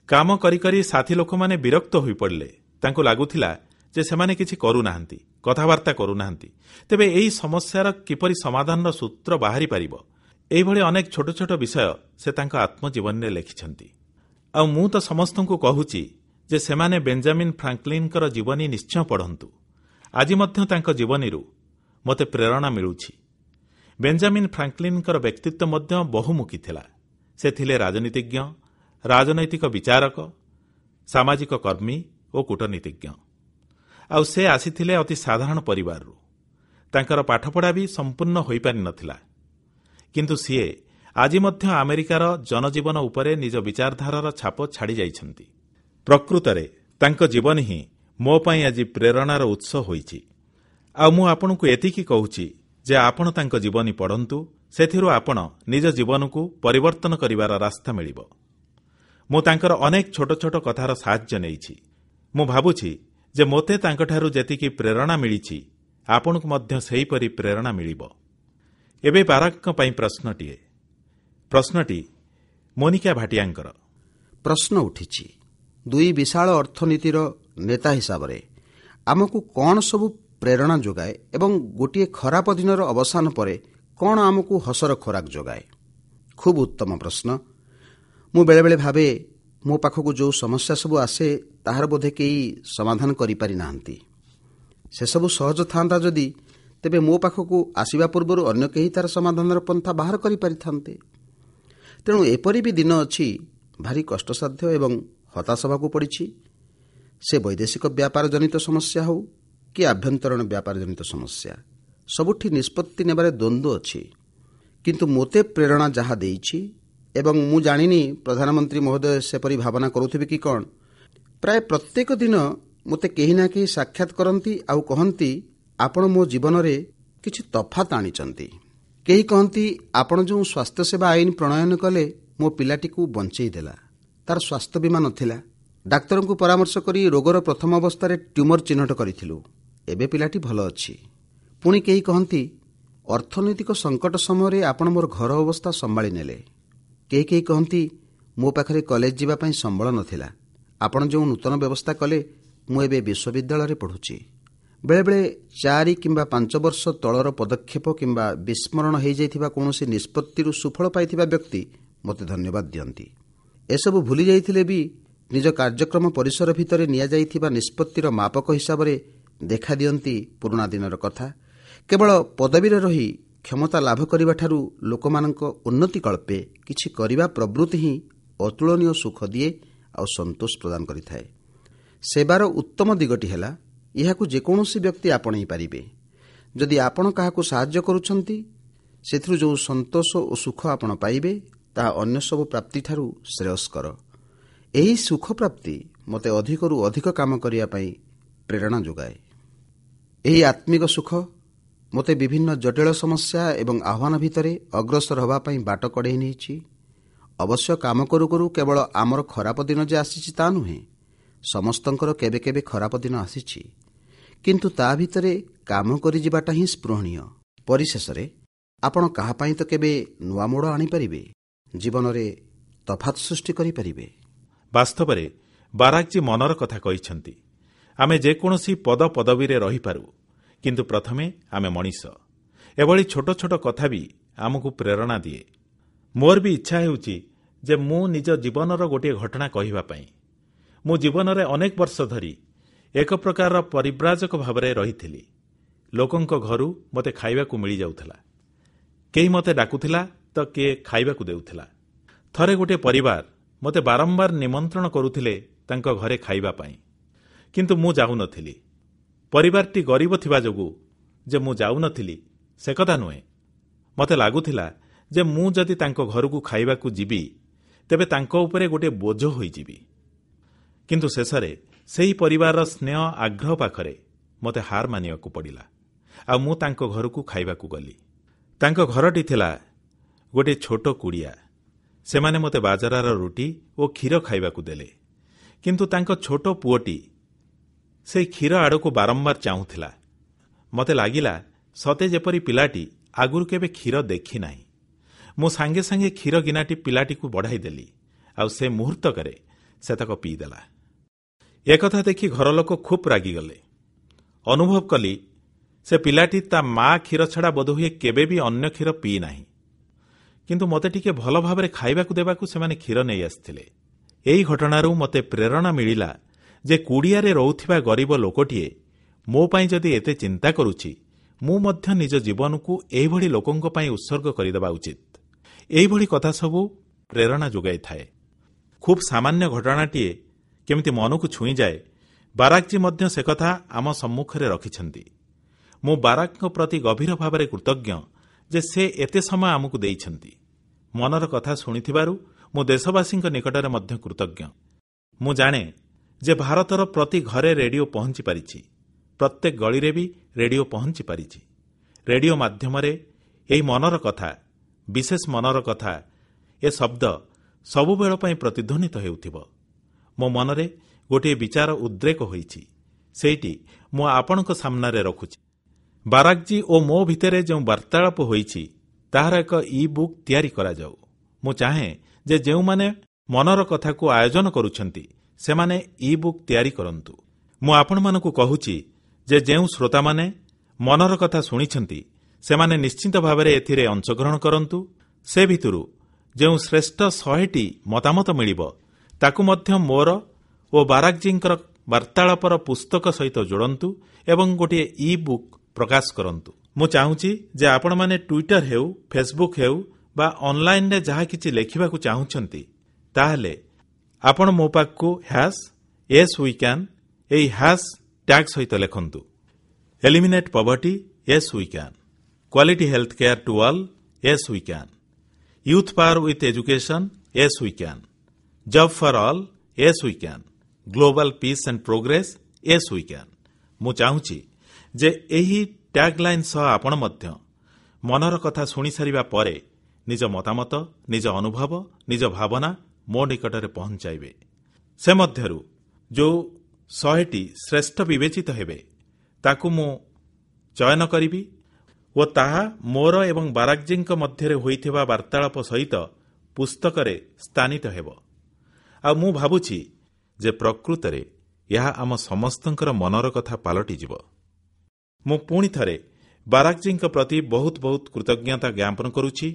କାମ କରି କରି ସାଥୀ ଲୋକମାନେ ବିରକ୍ତ ହୋଇପଡ଼ିଲେ, ତାଙ୍କୁ ଲାଗୁଥିଲା ଯେ ସେମାନେ କିଛି କରୁନାହାନ୍ତି, କଥାବାର୍ତ୍ତା କରୁନାହାନ୍ତି, ତେବେ ଏହି ସମସ୍ୟାର କିପରି ସମାଧାନର ସୂତ୍ର ବାହାରି ପାରିବ? ଏହିଭଳି ଅନେକ ଛୋଟ ଛୋଟ ବିଷୟ ସେ ତାଙ୍କ ଆତ୍ମଜୀବନୀରେ ଲେଖିଛନ୍ତି। ଆଉ ମୁଁ ତ ସମସ୍ତଙ୍କୁ କହୁଛି ଯେ ସେମାନେ ବେଞ୍ଜାମିନ୍ ଫ୍ରାଙ୍କଲିନଙ୍କର ଜୀବନୀ ନିଶ୍ଚୟ ପଢ଼ନ୍ତୁ। ଆଜି ମଧ୍ୟ ତାଙ୍କ ଜୀବନୀରୁ ମୋତେ ପ୍ରେରଣା ମିଳୁଛି। ବେଞ୍ଜାମିନ୍ ଫ୍ରାଙ୍କଲିନଙ୍କର ବ୍ୟକ୍ତିତ୍ୱ ମଧ୍ୟ ବହୁମୁଖୀ ଥିଲା। ସେ ଥିଲେ ରାଜନୀତିଜ୍ଞ, ରାଜନୈତିକ ବିଚାରକ, ସାମାଜିକ କର୍ମୀ ଓ କୂଟନୀତିଜ୍ଞ। ଆଉ ସେ ଆସିଥିଲେ ଅତି ସାଧାରଣ ପରିବାରରୁ। ତାଙ୍କର ପାଠପଢ଼ା ବି ସମ୍ପୂର୍ଣ୍ଣ ହୋଇପାରିନଥିଲା। କିନ୍ତୁ ସିଏ ଆଜି ମଧ୍ୟ ଆମେରିକାର ଜନଜୀବନ ଉପରେ ନିଜ ବିଚାରଧାରାର ଛାପ ଛାଡ଼ି ଯାଇଛନ୍ତି। ପ୍ରକୃତରେ ତାଙ୍କ ଜୀବନୀ ହିଁ ମୋ ପାଇଁ ଆଜି ପ୍ରେରଣାର ଉତ୍ସ ହୋଇଛି। ଆଉ ମୁଁ ଆପଣଙ୍କୁ ଏତିକି କହୁଛି ଯେ ଆପଣ ତାଙ୍କ ଜୀବନୀ ପଢ଼ନ୍ତୁ, ସେଥିରୁ ଆପଣ ନିଜ ଜୀବନକୁ ପରିବର୍ତ୍ତନ କରିବାର ରାସ୍ତା ମିଳିବ। ମୁଁ ତାଙ୍କର ଅନେକ ଛୋଟ ଛୋଟ କଥାର ସାହାଯ୍ୟ ନେଇଛି। ମୁଁ ଭାବୁଛି ଯେ ମୋତେ ତାଙ୍କଠାରୁ ଯେତିକି ପ୍ରେରଣା ମିଳିଛି, ଆପଣଙ୍କୁ ମଧ୍ୟ ସେହିପରି ପ୍ରେରଣା ମିଳିବ। ଏବେ ବାରାକଙ୍କ ପାଇଁ ପ୍ରଶ୍ନଟିଏ। ପ୍ରଶ୍ନଟି ମୋନିକା ଭାଟିଆଙ୍କର। ପ୍ରଶ୍ନ ଉଠିଛି, ଦୁଇ ବିଶାଳ ଅର୍ଥନୀତିର ନେତା ହିସାବରେ ଆମକୁ କ'ଣ ସବୁ ପ୍ରେରଣା ଯୋଗାଏ ଏବଂ ଗୋଟିଏ ଖରାପ ଦିନର ଅବସାନ ପରେ କ'ଣ ଆମକୁ ହସର ଖୋରାକ ଯୋଗାଏ? ଖୁବ୍ ଉତ୍ତମ ପ୍ରଶ୍ନ। ମୁଁ ବେଳେବେଳେ ଭାବେ, ମୋ ପାଖକୁ ଯେଉଁ ସମସ୍ୟା ସବୁ ଆସେ ତାହାର ବୋଧେ କେହି ସମାଧାନ କରିପାରି ନାହାନ୍ତି। ସେସବୁ ସହଜ ଥାନ୍ତା ଯଦି, ତେବେ ମୋ ପାଖକୁ ଆସିବା ପୂର୍ବରୁ ଅନ୍ୟ କେହି ତାର ସମାଧାନର ପନ୍ଥା ବାହାର କରିପାରିଥାନ୍ତେ। ତେଣୁ ଏପରି ବି ଦିନ ଅଛି, ଭାରି କଷ୍ଟସାଧ୍ୟ ଏବଂ ହତାଶ ହେବାକୁ ପଡ଼ିଛି। ସେ ବୈଦେଶିକ ବ୍ୟାପାର ଜନିତ ସମସ୍ୟା ହେଉ କି ଆଭ୍ୟନ୍ତରୀଣ ବ୍ୟାପାର ଜନିତ ସମସ୍ୟା, ସବୁଠି ନିଷ୍ପତ୍ତି ନେବାରେ ଦ୍ୱନ୍ଦ୍ୱ ଅଛି। କିନ୍ତୁ ମୋତେ ପ୍ରେରଣା ଯାହା ଦେଇଛି, ଏବଂ ମୁଁ ଜାଣିନି ପ୍ରଧାନମନ୍ତ୍ରୀ ମହୋଦୟ ସେପରି ଭାବନା କରୁଥିବେ କି କ'ଣ, ପ୍ରାୟ ପ୍ରତ୍ୟେକ ଦିନ ମୋତେ କେହି ନା କେହି ସାକ୍ଷାତ କରନ୍ତି ଆଉ କହନ୍ତି, ଆପଣ ମୋ ଜୀବନରେ କିଛି ତଫାତ୍ ଆଣିଛନ୍ତି। କେହି କହନ୍ତି, ଆପଣ ଯେଉଁ ସ୍ୱାସ୍ଥ୍ୟସେବା ଆଇନ ପ୍ରଣୟନ କଲେ ମୋ ପିଲାଟିକୁ ବଂଚେଇ ଦେଲା। ତାର ସ୍ୱାସ୍ଥ୍ୟ ବୀମା ନଥିଲା। ଡାକ୍ତରଙ୍କୁ ପରାମର୍ଶ କରି ରୋଗର ପ୍ରଥମ ଅବସ୍ଥାରେ ଟ୍ୟୁମର ଚିହ୍ନଟ କରିଥିଲୁ। ଏବେ ପିଲାଟି ଭଲ ଅଛି। ପୁଣି କେହି କହନ୍ତି, ଅର୍ଥନୈତିକ ସଙ୍କଟ ସମୟରେ ଆପଣ ମୋର ଘର ଅବସ୍ଥା ସମ୍ଭାଳି ନେଲେ। କେହି କେହି କହନ୍ତି, ମୋ ପାଖରେ କଲେଜ ଯିବା ପାଇଁ ସମ୍ବଳ ନଥିଲା। ଆପଣ ଯେଉଁ ନୂତନ ବ୍ୟବସ୍ଥା କଲେ, ମୁଁ ଏବେ ବିଶ୍ୱବିଦ୍ୟାଳୟରେ ପଢ଼ୁଛି। ବେଳେବେଳେ ଚାରି କିମ୍ବା ପାଞ୍ଚ ବର୍ଷ ତଳର ପଦକ୍ଷେପ କିମ୍ବା ବିସ୍ମରଣ ହୋଇଯାଇଥିବା କୌଣସି ନିଷ୍ପତ୍ତିରୁ ସୁଫଳ ପାଇଥିବା ବ୍ୟକ୍ତି ମୋତେ ଧନ୍ୟବାଦ ଦିଅନ୍ତି। ଏସବୁ ଭୁଲି ଯାଇଥିଲେ ବି ନିଜ କାର୍ଯ୍ୟକ୍ରମ ପରିସର ଭିତରେ ନିଆଯାଇଥିବା ନିଷ୍ପତ୍ତିର ମାପକ ହିସାବରେ ଦେଖାଦିଅନ୍ତି ପୁରୁଣା ଦିନର କଥା। କେବଳ ପଦବୀରେ ରହି କ୍ଷମତା ଲାଭ କରିବାଠାରୁ ଲୋକମାନଙ୍କ ଉନ୍ନତି କଳ୍ପେ କିଛି କରିବା ପ୍ରବୃତ୍ତି ହିଁ ଅତୁଳନୀୟ ସୁଖ ଦିଏ ଆଉ ସନ୍ତୋଷ ପ୍ରଦାନ କରିଥାଏ। ସେବାର ଉତ୍ତମ ଦିଗଟି ହେଲା, ଏହାକୁ ଯେକୌଣସି ବ୍ୟକ୍ତି ଆପଣେଇ ପାରିବେ। ଯଦି ଆପଣ କାହାକୁ ସାହାଯ୍ୟ କରୁଛନ୍ତି, ସେଥିରୁ ଯେଉଁ ସନ୍ତୋଷ ଓ ସୁଖ ଆପଣ ପାଇବେ, ତାହା ଅନ୍ୟ ସବୁ ପ୍ରାପ୍ତିଠାରୁ ଶ୍ରେୟସ୍କର। ଏହି ସୁଖ ପ୍ରାପ୍ତି ମୋତେ ଅଧିକରୁ ଅଧିକ କାମ କରିବା ପାଇଁ ପ୍ରେରଣା ଯୋଗାଏ। ଏହି ଆତ୍ମିକ ସୁଖ ମୋତେ ବିଭିନ୍ନ ଜଟିଳ ସମସ୍ୟା ଏବଂ ଆହ୍ୱାନ ଭିତରେ ଅଗ୍ରସର ହେବା ପାଇଁ ବାଟ କଢ଼େଇ ନେଇଛି। ଅବଶ୍ୟ କାମ କରୁ କରୁ କେବଳ ଆମର ଖରାପ ଦିନ ଯେ ଆସିଛି ତା ନୁହେଁ, ସମସ୍ତଙ୍କର କେବେ କେବେ ଖରାପ ଦିନ ଆସିଛି। କିନ୍ତୁ ତା ଭିତରେ କାମ କରିଯିବାଟା ହିଁ ସ୍ପୃହଣୀୟ। ପରିଶେଷରେ ଆପଣ କାହା ପାଇଁ ତ କେବେ ନୂଆ ମୋଡ଼ ଆଣିପାରିବେ, ଜୀବନରେ ତଫାତ୍ ସୃଷ୍ଟି କରିପାରିବେ। ବାସ୍ତବରେ ବାରାକଜୀ ମନର କଥା କହିଛନ୍ତି। ଆମେ ଯେକୌଣସି ପଦପଦବୀରେ ରହିପାରୁ, କିନ୍ତୁ ପ୍ରଥମେ ଆମେ ମଣିଷ। ଏଭଳି ଛୋଟ ଛୋଟ କଥା ବି ଆମକୁ ପ୍ରେରଣା ଦିଏ। ମୋର ବି ଇଚ୍ଛା ହେଉଛି ଯେ ମୁଁ ନିଜ ଜୀବନର ଗୋଟିଏ ଘଟଣା କହିବା ପାଇଁ। ମୁଁ ଜୀବନରେ ଅନେକ ବର୍ଷ ଧରି ଏକ ପ୍ରକାରର ପରିବ୍ରାଜକ ଭାବରେ ରହିଥିଲି। ଲୋକଙ୍କ ଘରୁ ମୋତେ ଖାଇବାକୁ ମିଳିଯାଉଥିଲା। କେହି ମୋତେ ଡାକୁଥିଲା ତ କିଏ ଖାଇବାକୁ ଦେଉଥିଲା। ଥରେ ଗୋଟିଏ ପରିବାର ମୋତେ ବାରମ୍ବାର ନିମନ୍ତ୍ରଣ କରୁଥିଲେ ତାଙ୍କ ଘରେ ଖାଇବା ପାଇଁ, କିନ୍ତୁ ମୁଁ ଯାଉନଥିଲି। ପରିବାରଟି ଗରିବ ଥିବା ଯୋଗୁଁ ଯେ ମୁଁ ଯାଉନଥିଲି ସେ କଥା ନୁହେଁ। ମୋତେ ଲାଗୁଥିଲା ଯେ ମୁଁ ଯଦି ତାଙ୍କ ଘରକୁ ଖାଇବାକୁ ଯିବି, ତେବେ ତାଙ୍କ ଉପରେ ଗୋଟିଏ ବୋଝ ହୋଇଯିବି। କିନ୍ତୁ ଶେଷରେ ସେହି ପରିବାରର ସ୍ନେହ ଆଗ୍ରହ ପାଖରେ ମୋତେ ହାର ମାନିବାକୁ ପଡ଼ିଲା ଆଉ ମୁଁ ତାଙ୍କ ଘରକୁ ଖାଇବାକୁ ଗଲି। ତାଙ୍କ ଘରଟି ଥିଲା ଗୋଟିଏ ଛୋଟ କୁଡ଼ିଆ। ସେମାନେ ମୋତେ ବାଜରାର ରୁଟି ଓ କ୍ଷୀର ଖାଇବାକୁ ଦେଲେ, କିନ୍ତୁ ତାଙ୍କ ଛୋଟ ପୁଅଟି ସେହି କ୍ଷୀର ଆଡ଼କୁ ବାରମ୍ବାର ଚାହୁଁଥିଲା। ମୋତେ ଲାଗିଲା ସତେ ଯେପରି ପିଲାଟି ଆଗରୁ କେବେ କ୍ଷୀର ଦେଖିନାହିଁ। ମୁଁ ସାଙ୍ଗେ ସାଙ୍ଗେ କ୍ଷୀର ଗିନାଟି ପିଲାଟିକୁ ବଢ଼ାଇଦେଲି ଆଉ ସେ ମୁହୂର୍ତ୍ତକରେ ସେତକ ପିଇଦେଲା। ଏକଥା ଦେଖି ଘର ଲୋକ ଖୁବ୍ ରାଗିଗଲେ। ଅନୁଭବ କଲି ସେ ପିଲାଟି ତା ମା କ୍ଷୀର ଛଡ଼ା ବୋଧହୁଏ କେବେ ବି ଅନ୍ୟ କ୍ଷୀର ପିଇନାହିଁ। କିନ୍ତୁ ମୋତେ ଟିକେ ଭଲ ଭାବରେ ଖାଇବାକୁ ଦେବାକୁ ସେମାନେ କ୍ଷୀର ନେଇ ଆସିଥିଲେ। ଏହି ଘଟଣାରୁ ମୋତେ ପ୍ରେରଣା ମିଳିଲା ଯେ କୁଡ଼ିଆରେ ରହୁଥିବା ଗରିବ ଲୋକଟିଏ ମୋ ପାଇଁ ଯଦି ଏତେ ଚିନ୍ତା କରୁଛି, ମୁଁ ମଧ୍ୟ ନିଜ ଜୀବନକୁ ଏହିଭଳି ଲୋକଙ୍କ ପାଇଁ ଉତ୍ସର୍ଗ କରିଦେବା ଉଚିତ। ଏହିଭଳି କଥା ସବୁ ପ୍ରେରଣା ଯୋଗାଇଥାଏ। ଖୁବ୍ ସାମାନ୍ୟ ଘଟଣାଟିଏ କେମିତି ମନକୁ ଛୁଇଁଯାଏ, ବାରାକଜୀ ମଧ୍ୟ ସେକଥା ଆମ ସମ୍ମୁଖରେ ରଖିଛନ୍ତି। ମୁଁ ବାରାକଙ୍କ ପ୍ରତି ଗଭୀର ଭାବରେ କୃତଜ୍ଞ ଯେ ସେ ଏତେ ସମୟ ଆମକୁ ଦେଇଛନ୍ତି। ମନର କଥା ଶୁଣିଥିବାରୁ ମୁଁ ଦେଶବାସୀଙ୍କ ନିକଟରେ ମଧ୍ୟ କୃତଜ୍ଞ। ମୁଁ ଜାଣେ ଯେ ଭାରତର ପ୍ରତି ଘରେ ରେଡିଓ ପହଞ୍ଚି ପାରିଛି, ପ୍ରତ୍ୟେକ ଗଳିରେ ବି ରେଡିଓ ପହଞ୍ଚି ପାରିଛି। ରେଡିଓ ମାଧ୍ୟମରେ ଏହି ମନର କଥା, ବିଶେଷ ମନର କଥା, ଏ ଶବ୍ଦ ସବୁବେଳ ପାଇଁ ପ୍ରତିଧ୍ୱନିତ ହେଉଥିବ। ମୋ ମନରେ ଗୋଟିଏ ବିଚାର ଉଦ୍ରେକ ହୋଇଛି, ସେଇଟି ମୁଁ ଆପଣଙ୍କ ସାମ୍ନାରେ ରଖୁଛି। ବାରାକଜୀ ଓ ମୋ ଭିତରେ ଯେଉଁ ବାର୍ତ୍ତାଳାପ ହୋଇଛି ତାହାର ଏକ ଇ-ବୁକ୍ ତିଆରି କରାଯାଉ। ମୁଁ ଚାହେଁ ଯେ ଯେଉଁମାନେ ମନର କଥାକୁ ଆୟୋଜନ କରୁଛନ୍ତି ସେମାନେ ଇ-ବୁକ୍ ତିଆରି କରନ୍ତୁ। ମୁଁ ଆପଣମାନଙ୍କୁ କହୁଛି ଯେ ଯେଉଁ ଶ୍ରୋତାମାନେ ମନର କଥା ଶୁଣିଛନ୍ତି ସେମାନେ ନିଶ୍ଚିତ ଭାବରେ ଏଥିରେ ଅଂଶଗ୍ରହଣ କରନ୍ତୁ। ସେ ଭିତରୁ ଯେଉଁ ଶ୍ରେଷ୍ଠ ଶହେଟି ମତାମତ ମିଳିବ ତାକୁ ମଧ୍ୟ ମୋର ଓ ବାରାକଜୀଙ୍କର ବାର୍ତ୍ତାଳାପର ପୁସ୍ତକ ସହିତ ଯୋଡ଼ନ୍ତୁ ଏବଂ ଗୋଟିଏ ଇ-ବୁକ୍ ପ୍ରକାଶ କରନ୍ତୁ। ମୁଁ ଚାହୁଁଛି ଯେ ଆପଣମାନେ ଟ୍ୱିଟର ହେଉ, ଫେସବୁକ୍ ହେଉ ବା ଅନଲାଇନରେ ଯାହା କିଛି ଲେଖିବାକୁ ଚାହୁଁଛନ୍ତି, ତାହେଲେ ଆପଣ ମୋ ପାଖକୁ ହ୍ୟାସ୍ ୟେସ୍ we can ଏହି ହ୍ୟାସ୍ ଟ୍ୟାଗ୍ ସହିତ ଲେଖନ୍ତୁ। Eliminate poverty, yes we can. Quality health care to all, yes we can. Youth power with education, yes we can. Job for all, yes we can. Global peace and progress, Yes we can. ମୁଁ ଚାହୁଁଛି ଯେ ଏହି ଟ୍ୟାଗଲାଇନ୍ ସହ ଆପଣ ମଧ୍ୟ ମନର କଥା ଶୁଣିସାରିବା ପରେ ନିଜ ମତାମତ, ନିଜ ଅନୁଭବ, ନିଜ ଭାବନା ମୋ ନିକଟରେ ପହଂଚାଇବେ। ସେ ମଧ୍ୟରୁ ଯେଉଁ ଶହେଟି ଶ୍ରେଷ୍ଠ ବିବେଚିତ ହେବେ, ତାକୁ ମୁଁ ଚୟନ କରିବି ଓ ତାହା ମୋର ଏବଂ ବାରାକଜୀଙ୍କ ମଧ୍ୟରେ ହୋଇଥିବା ବାର୍ତ୍ତାଳାପ ସହିତ ପୁସ୍ତକରେ ସ୍ଥାନିତ ହେବ। ଆଉ ମୁଁ ଭାବୁଛି ଯେ ପ୍ରକୃତରେ ଏହା ଆମ ସମସ୍ତଙ୍କର ମନର କଥା ପାଲଟିଯିବ। ମୁଁ ପୁଣିଥରେ ବାରାକଜୀଙ୍କ ପ୍ରତି ବହୁତ ବହୁତ କୃତଜ୍ଞତା ଜ୍ଞାପନ କରୁଛି।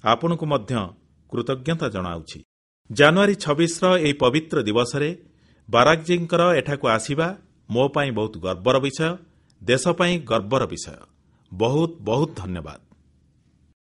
ଆପଣଙ୍କୁ ମଧ୍ୟ କୃତଜ୍ଞତା ଜଣାଉଛି। ଜାନୁଆରୀ ଛବିଶର ଏହି ପବିତ୍ର ଦିବସରେ ବାରାକଜୀଙ୍କର ଏଠାକୁ ଆସିବା ମୋ ପାଇଁ ବହୁତ ଗର୍ବର ବିଷୟ, ଦେଶ ପାଇଁ ଗର୍ବର ବିଷୟ। ବହୁତ ବହୁତ ଧନ୍ୟବାଦ।